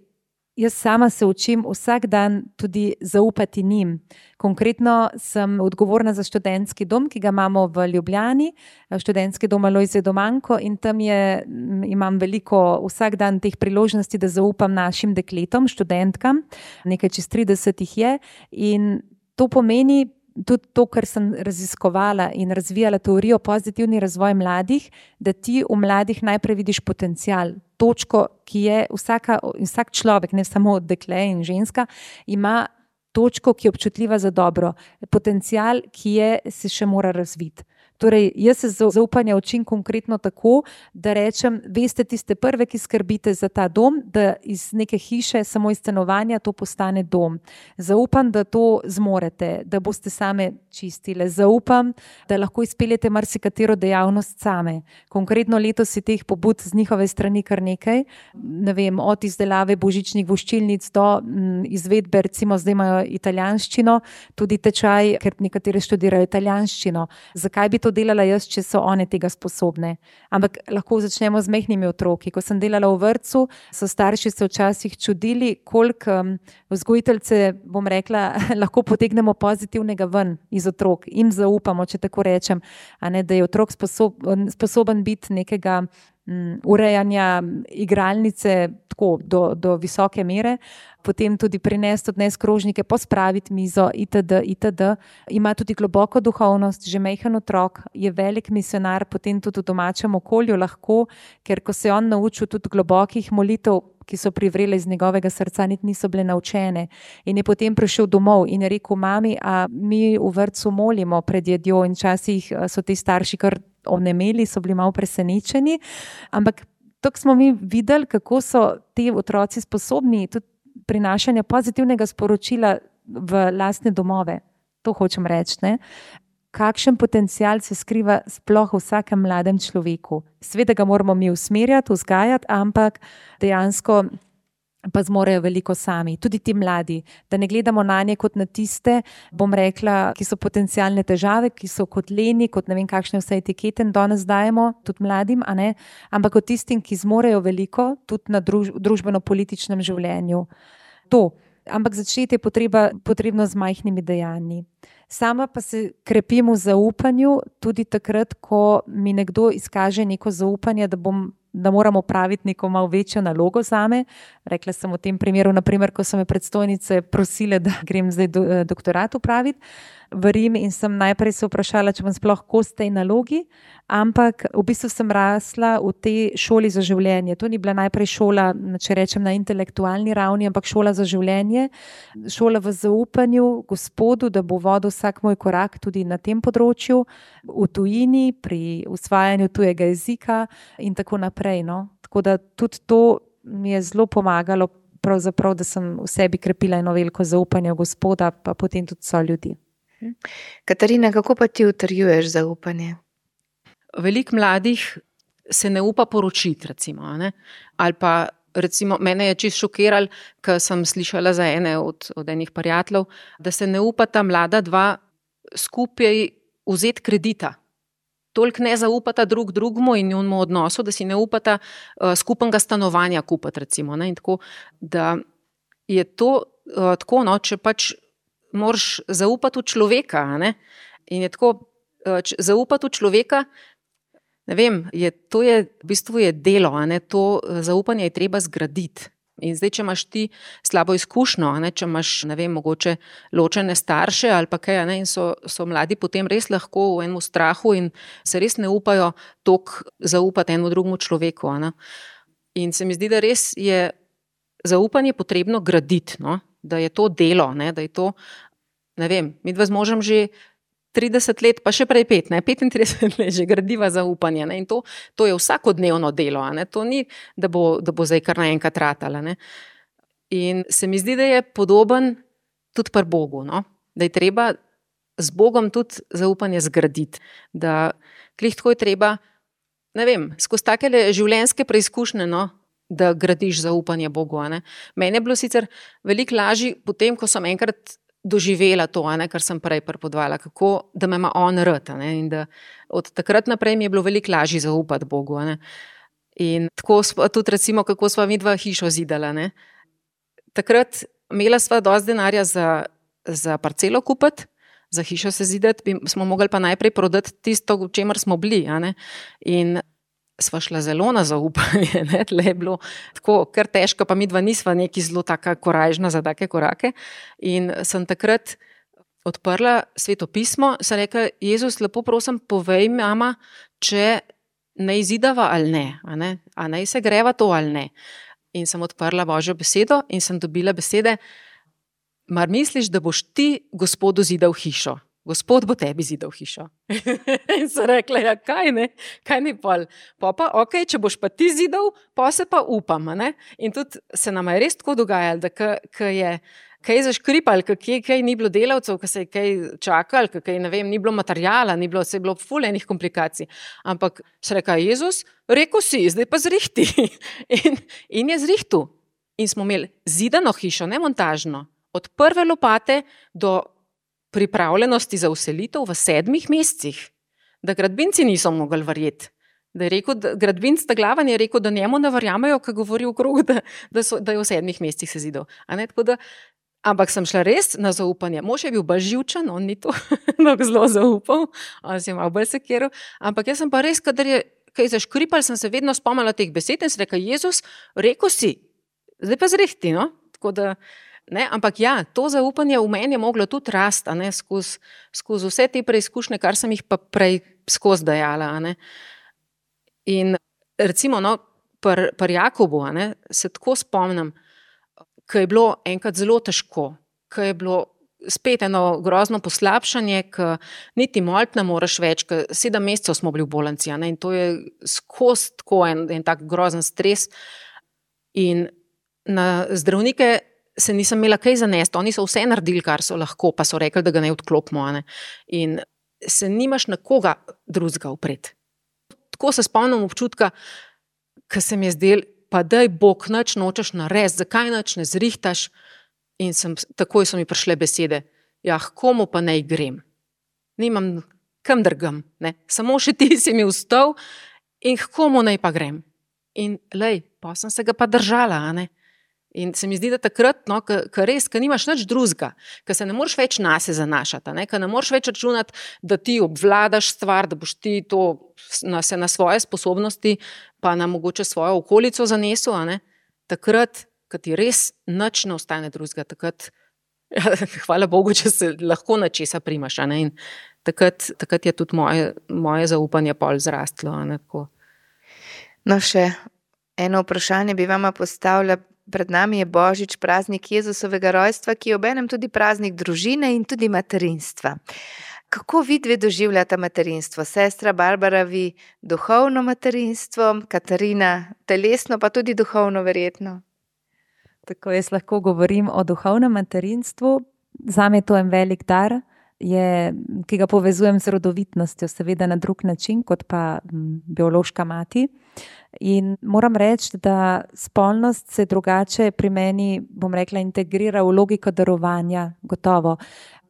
jaz sama se učim vsak dan tudi zaupati njim. Konkretno sem odgovorna za študentski dom, ki ga imamo v Ljubljani, študentski dom Alojzije Domanko, in tam je, imam veliko vsak dan teh priložnosti, da zaupam našim dekletom, študentkam, nekaj čez trideset jih je, in to pomeni tudi to, kar sem raziskovala in razvijala teorijo pozitivni razvoj mladih, da ti v mladih najprej vidiš potencial, točko, ki je vsaka, vsak človek, ne samo dekle in ženska, ima točko, ki je občutljiva za dobro, potencial, ki je, se še mora razviti. Torej, jaz se zaupanja učim konkretno tako, da rečem, veste tiste prve, ki skrbite za ta dom, da iz neke hiše, samo iz stanovanja, to postane dom. Zaupam, da to zmorete, da boste same čistile. Zaupam, da lahko izpeljete marsikatero dejavnost same. Konkretno letos je teh pobud z njihove strani kar nekaj, ne vem, od izdelave božičnih voščilnic do m, izvedbe, recimo zdaj imajo italijanščino, tudi tečaj, ker nekateri študirajo italijanščino. Zakaj bi to delala jaz, če so one tega sposobne? Ampak lahko začnemo z majhnimi otroki. Ko sem delala v vrtcu, so starši se včasih čudili, koliko um, vzgojiteljce, bom rekla, lahko potegnemo pozitivnega ven iz otrok. Im zaupamo, če tako rečem, a ne, da je otrok sposoben, sposoben biti nekega um, urejanja igralnice tako do, do visoke mere, potem tudi prinesti, odnesti krožnike, pospraviti mizo itd. itd. Ima tudi globoko duhovnost, že majhen otrok, je velik misionar, potem tudi v domačem okolju lahko, ker ko se je on naučil tudi globokih molitev, ki so privrele iz njegovega srca, niti niso bile naučene. In je potem prišel domov in je rekel, mami, a mi v vrtcu molimo pred jedjo, in včasih so ti starši kar onemeli, so bili malo presenečeni, ampak tako smo mi videli, kako so ti otroci sposobni tudi prinašanja pozitivnega sporočila v lastne domove. To hočem reči, ne? Kakšen potencial se skriva sploh v vsakem mladem človeku. Seveda ga moramo mi usmerjati, vzgajati, ampak dejansko pa zmorejo veliko sami. Tudi ti mladi, da ne gledamo na nje kot na tiste, bom rekla, ki so potencialne težave, ki so kot leni, kot ne vem kakšne vse etikete danes dajemo, tudi mladim, a ne, ampak kot tistim, ki zmorejo veliko, tudi na druž, družbeno-političnem življenju. To. Ampak začeti je potreba, potrebno z majhnimi dejanji. Sama pa se krepim v zaupanju tudi takrat, ko mi nekdo izkaže neko zaupanje, da bom da moramo praviti neko malo večjo nalogo zame. Rekla sem v tem primeru, naprimer, ko so me predstojnice prosile, da grem zdaj do, doktorat upraviti v Rim, in sem najprej se vprašala, če bom sploh kos tej nalogi, ampak v bistvu sem rasla v tej šoli za življenje. To ni bila najprej šola, če rečem, na intelektualni ravni, ampak šola za življenje, šola v zaupanju Gospodu, da bo vodil vsak moj korak tudi na tem področju, v tujini, pri usvajanju tujega jezika in tako naprej. No? Tako da tudi to mi je zelo pomagalo, pravzaprav, da sem v sebi krepila eno veliko zaupanje v Gospoda, pa potem tudi so ljudi. Katarina, kako pa ti utrjuješ zaupanje? Veliko mladih se ne upa poročiti, recimo, ne? Ali pa recimo, mene je čisto šokiralo, ko sem slišala za ene od, od enih prijateljev, da se ne upata mlada dva skupaj vzeti kredita. Toliko ne zaupata drug drugmu in njunemu odnosu, da si ne upata uh, skupnega stanovanja kupiti, recimo, ne? In tako, da je to uh, tako, no, če pač moraš zaupati v človeka, ne? In je tako, uh, zaupati v človeka, ne vem, je, to je, v bistvu je delo, a ne? To zaupanje je treba zgraditi. In zdaj, če imaš ti slabo izkušnjo, a ne? Če imaš, ne vem, mogoče ločene starše ali pa kaj, a ne? In so, so mladi potem res lahko v enem strahu in se res ne upajo toliko zaupati enemu drugemu človeku, a ne? In se mi zdi, da res je zaupanje potrebno graditi, no? da je to delo, ne, da je to, ne vem, midva z možem že trideset let, pa še prej pet, ne, petintrideset let že gradiva zaupanje, ne, in to, to je vsakodnevno delo, a ne, to ni, da bo, da bo zdaj kar naenkrat ratala, ne. In se mi zdi, da je podoben tudi pri Bogu, no, da je treba z Bogom tudi zaupanje zgraditi, da glih tako je treba, ne vem, skozi takele življenjske preizkušnje, no, da gradiš zaupanje Bogu, a ne. Meni je bilo sicer veliko lažje potem, ko sem enkrat doživela to, ne, kar sem prej pripovedovala, kako, da me ima on rad, ne, in da od takrat naprej mi je bilo veliko lažje zaupati Bogu, ne. In tako sva, tudi recimo, kako sva midva hišo zidala, ne. Takrat imela sva dosti denarja za, za parcelo kupiti, za hišo se zidati, smo mogli pa najprej prodati tisto, v čemer smo bili, a ne. In sva šla zelo na zaupanje, ne, tle je bilo tako kar težko, pa midva nisva neki zelo taka korajžna za take korake. In sem takrat odprla Sveto pismo, sem rekla, Jezus, lepo prosim, povej mama, če naj zidava ali ne, a ne, a naj se greva to ali ne. In sem odprla Božjo besedo in sem dobila besede, mar misliš, da boš ti Gospodu zidal hišo? Gospod bo tebi zidal hišo. In sem rekla, ja, kaj ne, kaj ni pol. Pa pa, ok, če boš pa ti zidal, pa se pa upam, ne. In tudi se nam je res tako dogajalo, da ko je kaj zaškripal, kaj, kaj ni bilo delavcev, ko se je kaj čakal, kaj, ne vem, ni bilo materijala, ni bilo, se je bilo ful enih komplikacij. Ampak se reka, Jezus, rekel si, zdaj pa zrihti. In, in je zrihtu. In smo imeli zidano hišo, ne montažno, od prve lopate do pripravljenosti za vselitev v sedmih mesecih, da gradbinci niso mogli verjeti. Da je rekel, da gradbinc Taglavan je rekel, da njemu ne verjamejo, ko govori okrog, da, da, so, da je v sedmih mesecih se zidal. A ne, tako da, ampak sem šla res na zaupanje. Mož je bil bolj živčen, on ni to zelo zaupal, on si je malo bolj sekiral, ampak jaz sem pa res, kadar je kaj zaškripal, sem se vedno spomnila teh besed in sem rekla, Jezus, rekel si, zdaj pa zrihti, no, tako da, ne, ampak ja, to zaupanje v meni je moglo tudi rasti, a ne, skozi, skozi vse te preizkušnje, kar sem jih pa prej skozi dajala, a ne. In recimo, no, pri pr Jakobu, a ne, se tako spomnim, ko je bilo enkrat zelo težko, ko je bilo spet eno grozno poslabšanje, ko niti moliti ne moreš več, ko sedem mesecev smo bili v bolnici, a ne, in to je skozi tako en, en tak grozen stres. In na zdravnike se nisem imela kaj zanesti, oni so vse naredili, kar so lahko, pa so rekli, da ga ne odklopimo, a ne. In se nimaš na koga drugega upreti. Tako se spomnim občutka, ko se mi je zdel, pa daj Bog, nič nočeš narediti, zakaj nič ne zrihtaš? In sem, takoj so mi prišle besede, ja, komu pa naj grem? Nimam kam drgam, ne. Samo še ti si mi vstal in komu naj pa grem? In lej, pa sem se ga pa držala, a ne. In se mi zdi, da takrat, no, ko res, ko nimaš nič drugega, ko se ne moreš več nase zanašati, ne, ko ne moreš več računati, da ti obvladaš stvar, da boš ti to na, se na svoje sposobnosti, pa na mogoče svojo okolico zanesel, a ne, takrat, ko ti res nič ne ostane drugega, takrat, ja, hvala Bogu, če se lahko na česa primaš, a ne, in takrat, takrat je tudi moje, moje zaupanje pol zrastlo, a ne, tako. No, še eno vprašanje bi vama postavila. Pred nami je Božič, praznik Jezusovega rojstva, ki je obenem tudi praznik družine in tudi materinstva. Kako vi dve doživljata materinstvo? Sestra Barbara, vi duhovno materinstvo, Katarina telesno, pa tudi duhovno verjetno. Tako jaz lahko govorim o duhovnem materinstvu. Zame je to en velik dar, je, ki ga povezujem z rodovitnostjo, seveda na drug način, kot pa m, biološka mati. In moram reči, da spolnost se drugače pri meni, bom rekla, integrira v logiko darovanja, gotovo.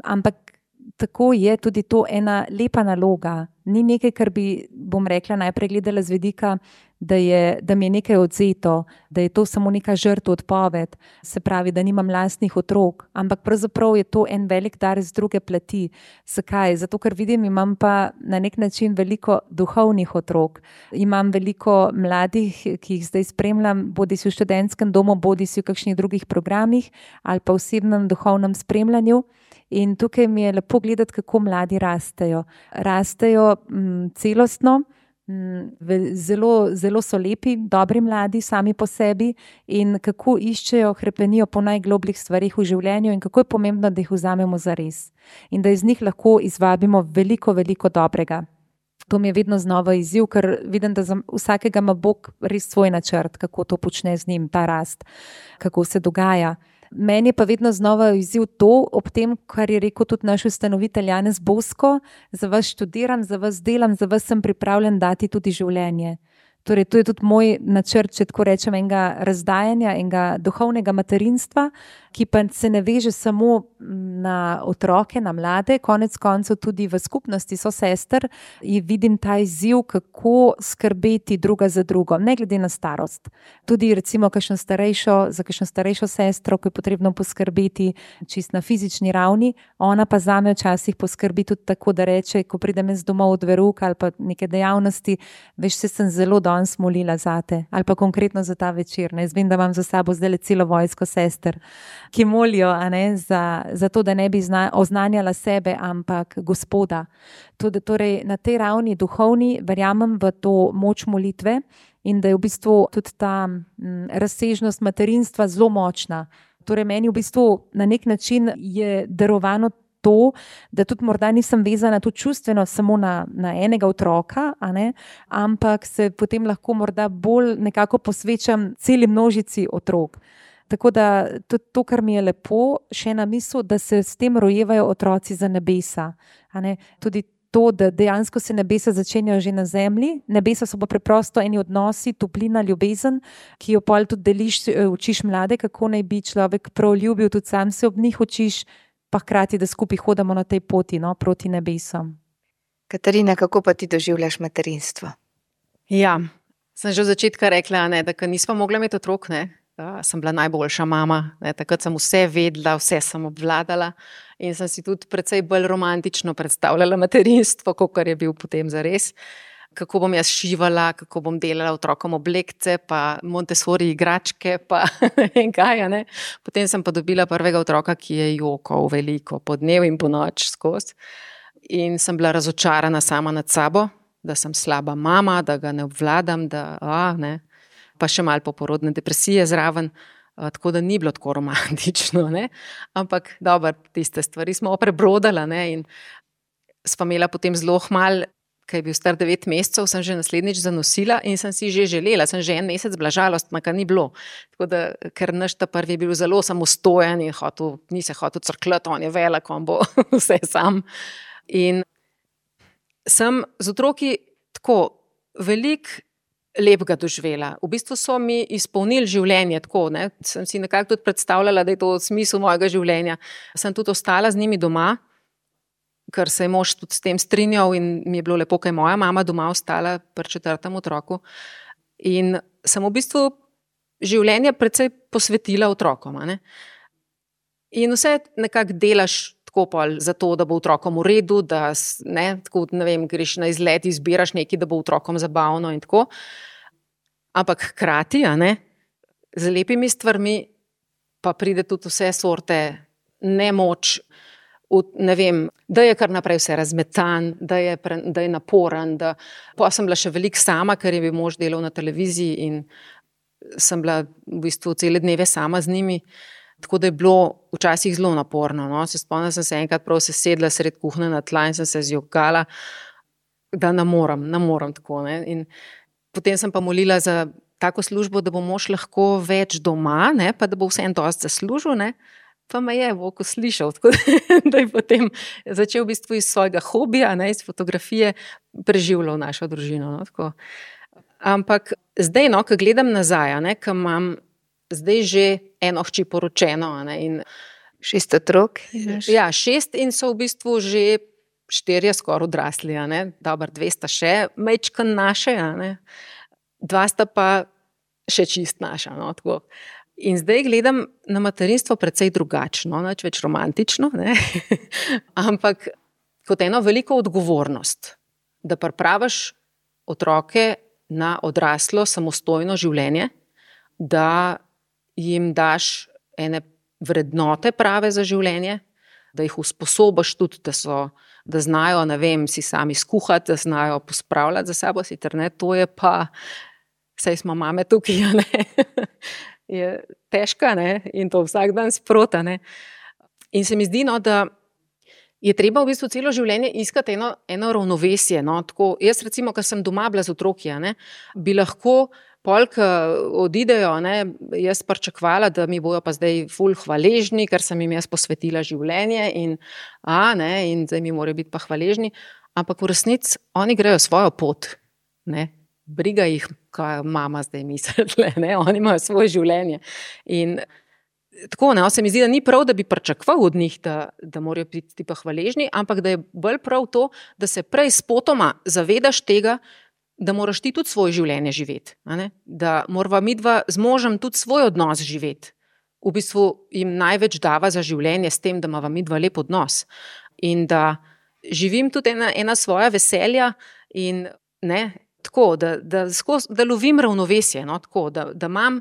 Ampak tako je tudi to ena lepa naloga. Ni nekaj, kar bi, bom rekla, najprej gledala z vidika, da, je, da mi je nekaj odzeto, da je to samo neka žrtev, odpoved, se pravi, da nimam lastnih otrok, ampak pravzaprav je to en velik dar z druge plati. Zakaj? Zato, ker vidim, imam pa na nek način veliko duhovnih otrok. Imam veliko mladih, ki jih zdaj spremljam, bodi si v študentskem domu, bodi si v kakšnih drugih programih ali pa v osebnem duhovnem spremljanju. In tukaj mi je lepo gledati, kako mladi rastejo. Rastejo m, celostno, Zelo, zelo so lepi, dobri mladi sami po sebi in kako iščejo, hrepenijo po najglobljih stvarih v življenju in kako je pomembno, da jih vzamemo za res in da iz njih lahko izvabimo veliko, veliko dobrega. To mi je vedno znova izziv, ker vidim, da za vsakega ima Bog res svoj načrt, kako to počne z njim, ta rast, kako se dogaja. Meni je pa vedno znova izziv to, ob tem, kar je rekel tudi naš ustanovitelj Janez Bosko, za vas študiram, za vas delam, za vas sem pripravljen dati tudi življenje. Torej, to je tudi moj načrt, če tako rečem, enega razdajanja, enega duhovnega materinstva, ki pa se ne veže samo na otroke, na mlade, konec koncev tudi v skupnosti so sester in vidim ta izziv, kako skrbeti druga za drugo, ne glede na starost. Tudi recimo kakšno starejšo, za kakšno starejšo sestro, ko je potrebno poskrbeti čist na fizični ravni, ona pa zame včasih poskrbi tudi tako, da reče, ko pridem iz domov od veruk ali pa neke dejavnosti, veš, se sem zelo danes molila zate, ali pa konkretno za ta večer. Ne? Jaz vem, da imam za sabo zdaj celo vojsko sester, ki molijo, a ne, za, za to, da ne bi zna, oznanjala sebe, ampak Gospoda. Tudi, torej, na tej ravni duhovni verjamem v to moč molitve in da je v bistvu tudi ta m, razsežnost materinstva zelo močna. Torej, meni v bistvu na nek način je darovano to, da tudi morda nisem vezana tudi čustveno samo na, na enega otroka, a ne, ampak se potem lahko morda bolj nekako posvečam celi množici otrok. Tako da tudi to, kar mi je lepo, še ena misel, da se s tem rojevajo otroci za nebesa. A ne? Tudi to, da dejansko se nebesa začenjajo že na zemlji, nebesa so pa preprosto eni odnosi, toplina, ljubezen, ki jo pol tudi deliš, učiš mlade, kako naj bi človek prav ljubil, tudi sam se ob njih učiš, pa hkrati, da skupaj hodamo na tej poti, no, proti nebesom. Katarina, kako pa ti doživljaš materinstvo? Ja, sem že od začetka rekla, ne, da nismo mogli imeti otrok, ne. Uh, sem bila najboljša mama, ne, takrat sem vse vedela, vse sem obvladala in sem si tudi precej bolj romantično predstavljala materinstvo, kakor je bil potem zares. Kako bom jaz šivala, kako bom delala otrokom oblekce, pa Montessori igračke, pa ne vem kaj. Ne. Potem sem pa dobila prvega otroka, ki je jokal veliko, po dnev in po noč skozi. In sem bila razočarana sama nad sabo, da sem slaba mama, da ga ne obvladam, da a, ne. Pa še malo poporodne depresije zraven, tako da ni bilo tako romantično, ne. Ampak dobro, tiste stvari smo prebrodala, ne, in sva imela potem zelo hmal, ko je bil star devet mesecev, sem že naslednjič zanosila in sem si že želela, sem že en mesec bila žalostna, kar ni bilo. Tako da, ker naš ta prvi je bil zelo samostojen in hotel, ni se hotel crkljati, on je velik, on bo vse sam. In sem z otroki tako veliko lepega doživela. V bistvu so mi izpolnili življenje tako, ne. Sem si nekako tudi predstavljala, da je to smisel mojega življenja. Sem tudi ostala z njimi doma, ker se je mož tudi s tem strinjal in mi je bilo lepo, ker je moja mama doma ostala pri četrtem otroku. In sem v bistvu življenje precej posvetila otrokom, a ne. In vse nekako delaš tako pol za to, da bo otrokom v redu, da ne, tako, ne vem, greš na izlet, izbiraš nekaj, da bo otrokom zabavno in tako. Ampak hkrati, a ne, z lepimi stvarmi pa pride tudi vse sorte nemoč, ne vem, da je kar naprej vse razmetan, da je, pre, da je naporen, da pa sem bila še veliko sama, ker je bil mož delal na televiziji in sem bila v bistvu cele dneve sama z njimi. Tako da je bilo včasih zelo naporno. No. Se spomnim, sem se enkrat prav sesedla sred kuhne na tla in sem se zjokala, da ne morem, ne morem tako. Ne. In potem sem pa molila za tako službo, da bo mož lahko več doma, ne, pa da bo vse en dosti zaslužil, ne. Pa me je Bog slišal, tako da je potem začel v bistvu iz svojega hobija, ne, iz fotografije, preživljal našo družino. No, tako. Ampak zdaj, no, ko gledam nazaj, ne, ko imam zdaj že eno hči poročeno. Ne, in šest otrok? Ja, šest in so v bistvu že štirje skoraj odrasli. Dobar, dve sta še majčken naše, dva sta pa še čist naša. No, tako. In zdaj gledam na materinstvo precej drugačno, nič več romantično, ne? Ampak kot eno veliko odgovornost, da pripraviš otroke na odraslo samostojno življenje, da jim daš ene vrednote prave za življenje, da jih usposobiš tudi, da, so, da znajo, ne vem, si sami skuhati, da znajo pospravljati za sabo, sicer ne, to je pa, saj smo mame tukaj, ne, je težka, ne, in to vsak dan sprota, ne. In se mi zdi, no, da je treba v bistvu celo življenje iskati eno, eno ravnovesje, no, tako, jaz recimo, ker sem doma bila z otroki, ne, bi lahko polk odidejo, ne, jaz pričakovala, da mi bojo pa zdaj ful hvaležni, ker sem jim jaz posvetila življenje in, a, ne, in zdaj mi morajo biti pa hvaležni, ampak v resnici oni grejo svojo pot, ne, briga jih, kaj mama zdaj misli, ne, oni imajo svoje življenje in tako, ne, se mi zdi, da ni prav, da bi pričakoval od njih, da, da morajo biti pa hvaležni, ampak da je bolj prav to, da se prej spotoma zavedaš tega, da moraš ti tudi svoje življenje živeti, a ne? Da morava midva z možem tudi svoj odnos živeti. V bistvu jim največ dava za življenje s tem, da imava midva lep odnos. In da živim tudi ena, ena svoja veselja in ne, tako, da, da, skozi, da lovim ravnovesje, no, tako, da, da imam,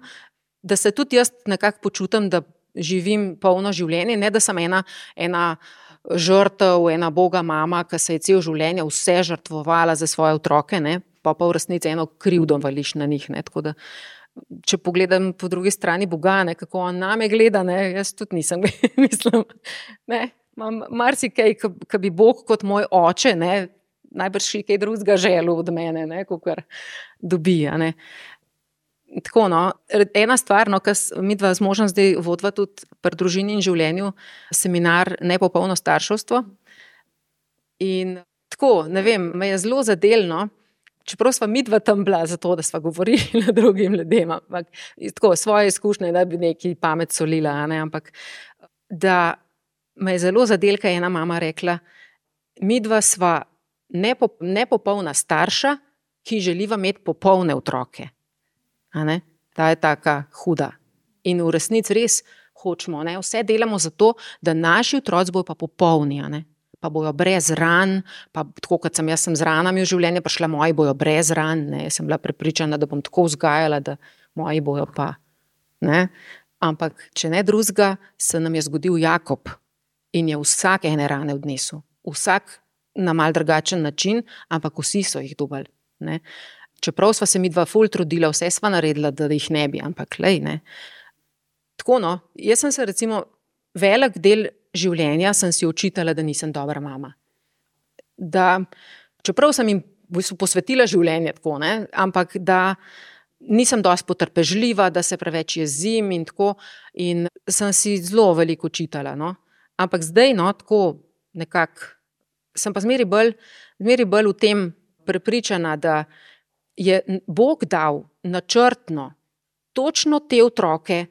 da se tudi jaz nekako počutim, da živim polno življenje, ne da sem ena, ena žrtev, ena boga mama, ki se je cel življenje vse žrtvovala za svoje otroke, ne, pa pa v resnici eno krivdo vališ na njih, ne, tako da, če pogledam po drugi strani Boga, ne, kako on name gleda, ne, jaz tudi nisem, mislim, ne, imam marsikaj, ki bi Bog kot moj oče, ne, najbrž še kaj drugega želel od mene, ne, kakor dobi, a ne. Tako, no, ena stvar, no, ki midva z možem zdaj vodva tudi pri družini in življenju, seminar Nepopolno starševstvo. In tako, ne vem, me je zelo zadelno, čeprav sva midva tam bila zato, da sva govorili na drugim ljudem, ampak tako, svoje izkušnje, da bi neki pamet solila, a ne, ampak da me je zelo zadel, kaj je ena mama rekla, midva sva nepop, nepopolna starša, ki želiva imeti popolne otroke. A ne? Ta je taka huda. In v resnici res hočemo, ne? Vse delamo zato, da naši otroci bojo pa popolni, a ne? Pa bojo brez ran, pa tako kot sem jaz sem z ranami v življenje prišla, moji bojo brez ran, ne? Jaz sem bila prepričana, da bom tako vzgajala, da moji bojo pa, ne? Ampak če ne drugega, se nam je zgodil Jakob in je vsak ene rane odnesel. Vsak na mal drugačen način, ampak vsi so jih dobili, ne? Čeprav sva se midva ful trudila, vse sva naredila, da jih ne bi, ampak lej, ne. Tako, no, jaz sem se recimo velik del življenja sem si očitala, da nisem dobra mama. Da, čeprav sem jim v bistvu posvetila življenje tako, ne, ampak da nisem dosti potrpežljiva, da se preveč jezim in tako, in sem si zelo veliko očitala, no. Ampak zdaj, no, tako nekako, sem pa zmeri bolj, zmeri bolj v tem prepričana, da je Bog dal načrtno točno te otroke,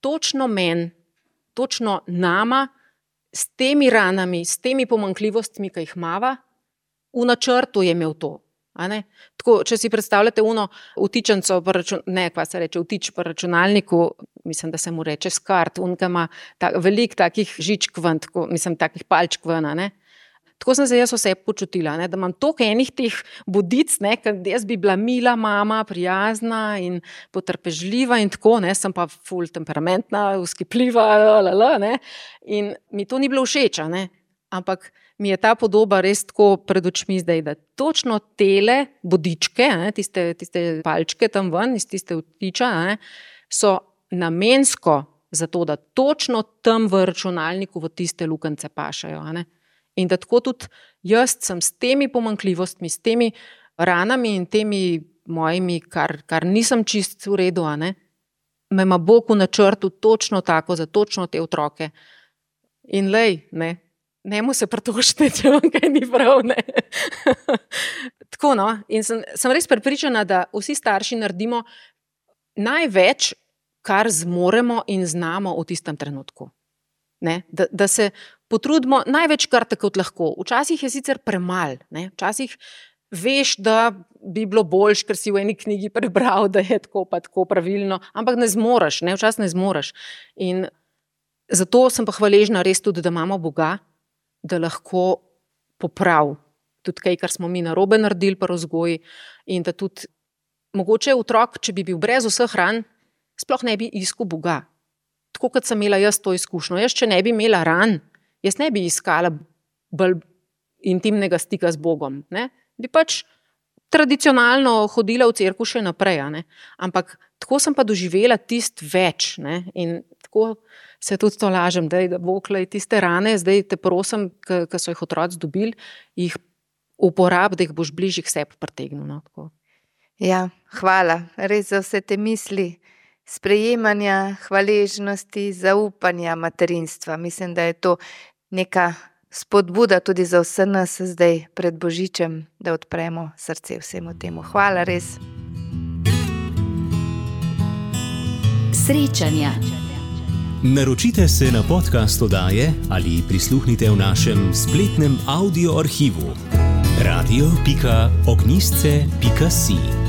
točno men, točno nama, s temi ranami, s temi pomanjkljivostmi, ki jih imava, v načrtu je imel to. A ne? Tako, če si predstavljate uno vtičenco, ne, kva se reče, vtič po računalniku, mislim, da se mu reče skart, unka ima ta, veliko takih žičk ven, tako, mislim, takih palčk ven, a ne. Tako sem se jaz vse počutila, ne, da imam toliko enih teh bodic, ne, ker jaz bi bila mila mama, prijazna in potrpežljiva in tako, ne, sem pa ful temperamentna, vzkipljiva, lalala, ne, in mi to ni bilo všeč, ne, ampak mi je ta podoba res tako pred očmi zdaj, da točno tele bodičke, ne, tiste, tiste palčke tam ven, iz tiste vtiča, ne, so namensko zato, da točno tam v računalniku v tiste lukance pašajo, ne. In da tako tudi jaz sem s temi pomanjkljivostmi, s temi ranami in temi mojimi, kar, kar nisem čist v redu, a ne, me ima Bog v načrtu točno tako za točno te otroke. In lej, ne, njemu se pritožite, če vam kaj ni prav, ne. Tako, no, in sem, sem res prepričana, da vsi starši naredimo največ, kar zmoremo in znamo v tistem trenutku. Ne, da, da se potrudimo največ kar tako lahko. Včasih je sicer premal, ne, včasih veš, da bi bilo boljš, ker si v eni knjigi prebral, da je tako pa tako pravilno, ampak ne zmoreš, ne, včasih ne zmoreš. In zato sem pa hvaležna res tudi, da imamo Boga, da lahko popravi tudi kaj, kar smo mi narobe naredili pri vzgoji in da tudi mogoče otrok, če bi bil brez vseh ran, sploh ne bi iskal Boga. Tako kot sem imela jaz to izkušnjo. Jaz, če ne bi imela ran Jaz ne bi iskala bolj intimnega stika z Bogom, ne? Bi pač tradicionalno hodila v cerkev še naprej, a ne? Ampak tako sem pa doživela tist več, ne? In tako se tudi to lažem, da Bog tiste rane, zdaj te prosim, ki so jih otroci dobili, jih uporab, da jih boš bližje k sebi pritegnil. No, tako. Ja, hvala. Res za vse te misli, sprejemanja, hvaležnosti, zaupanja materinstva. Mislim, da je to neka spodbuda tudi za vse nas zdaj pred Božičem, da odpremo srce vsemu temu. Hvala, res. Srečanja. Naročite se na podcast oddaje ali prisluhnite v našem spletnem audio arhivu radio pika ognjišče pika si.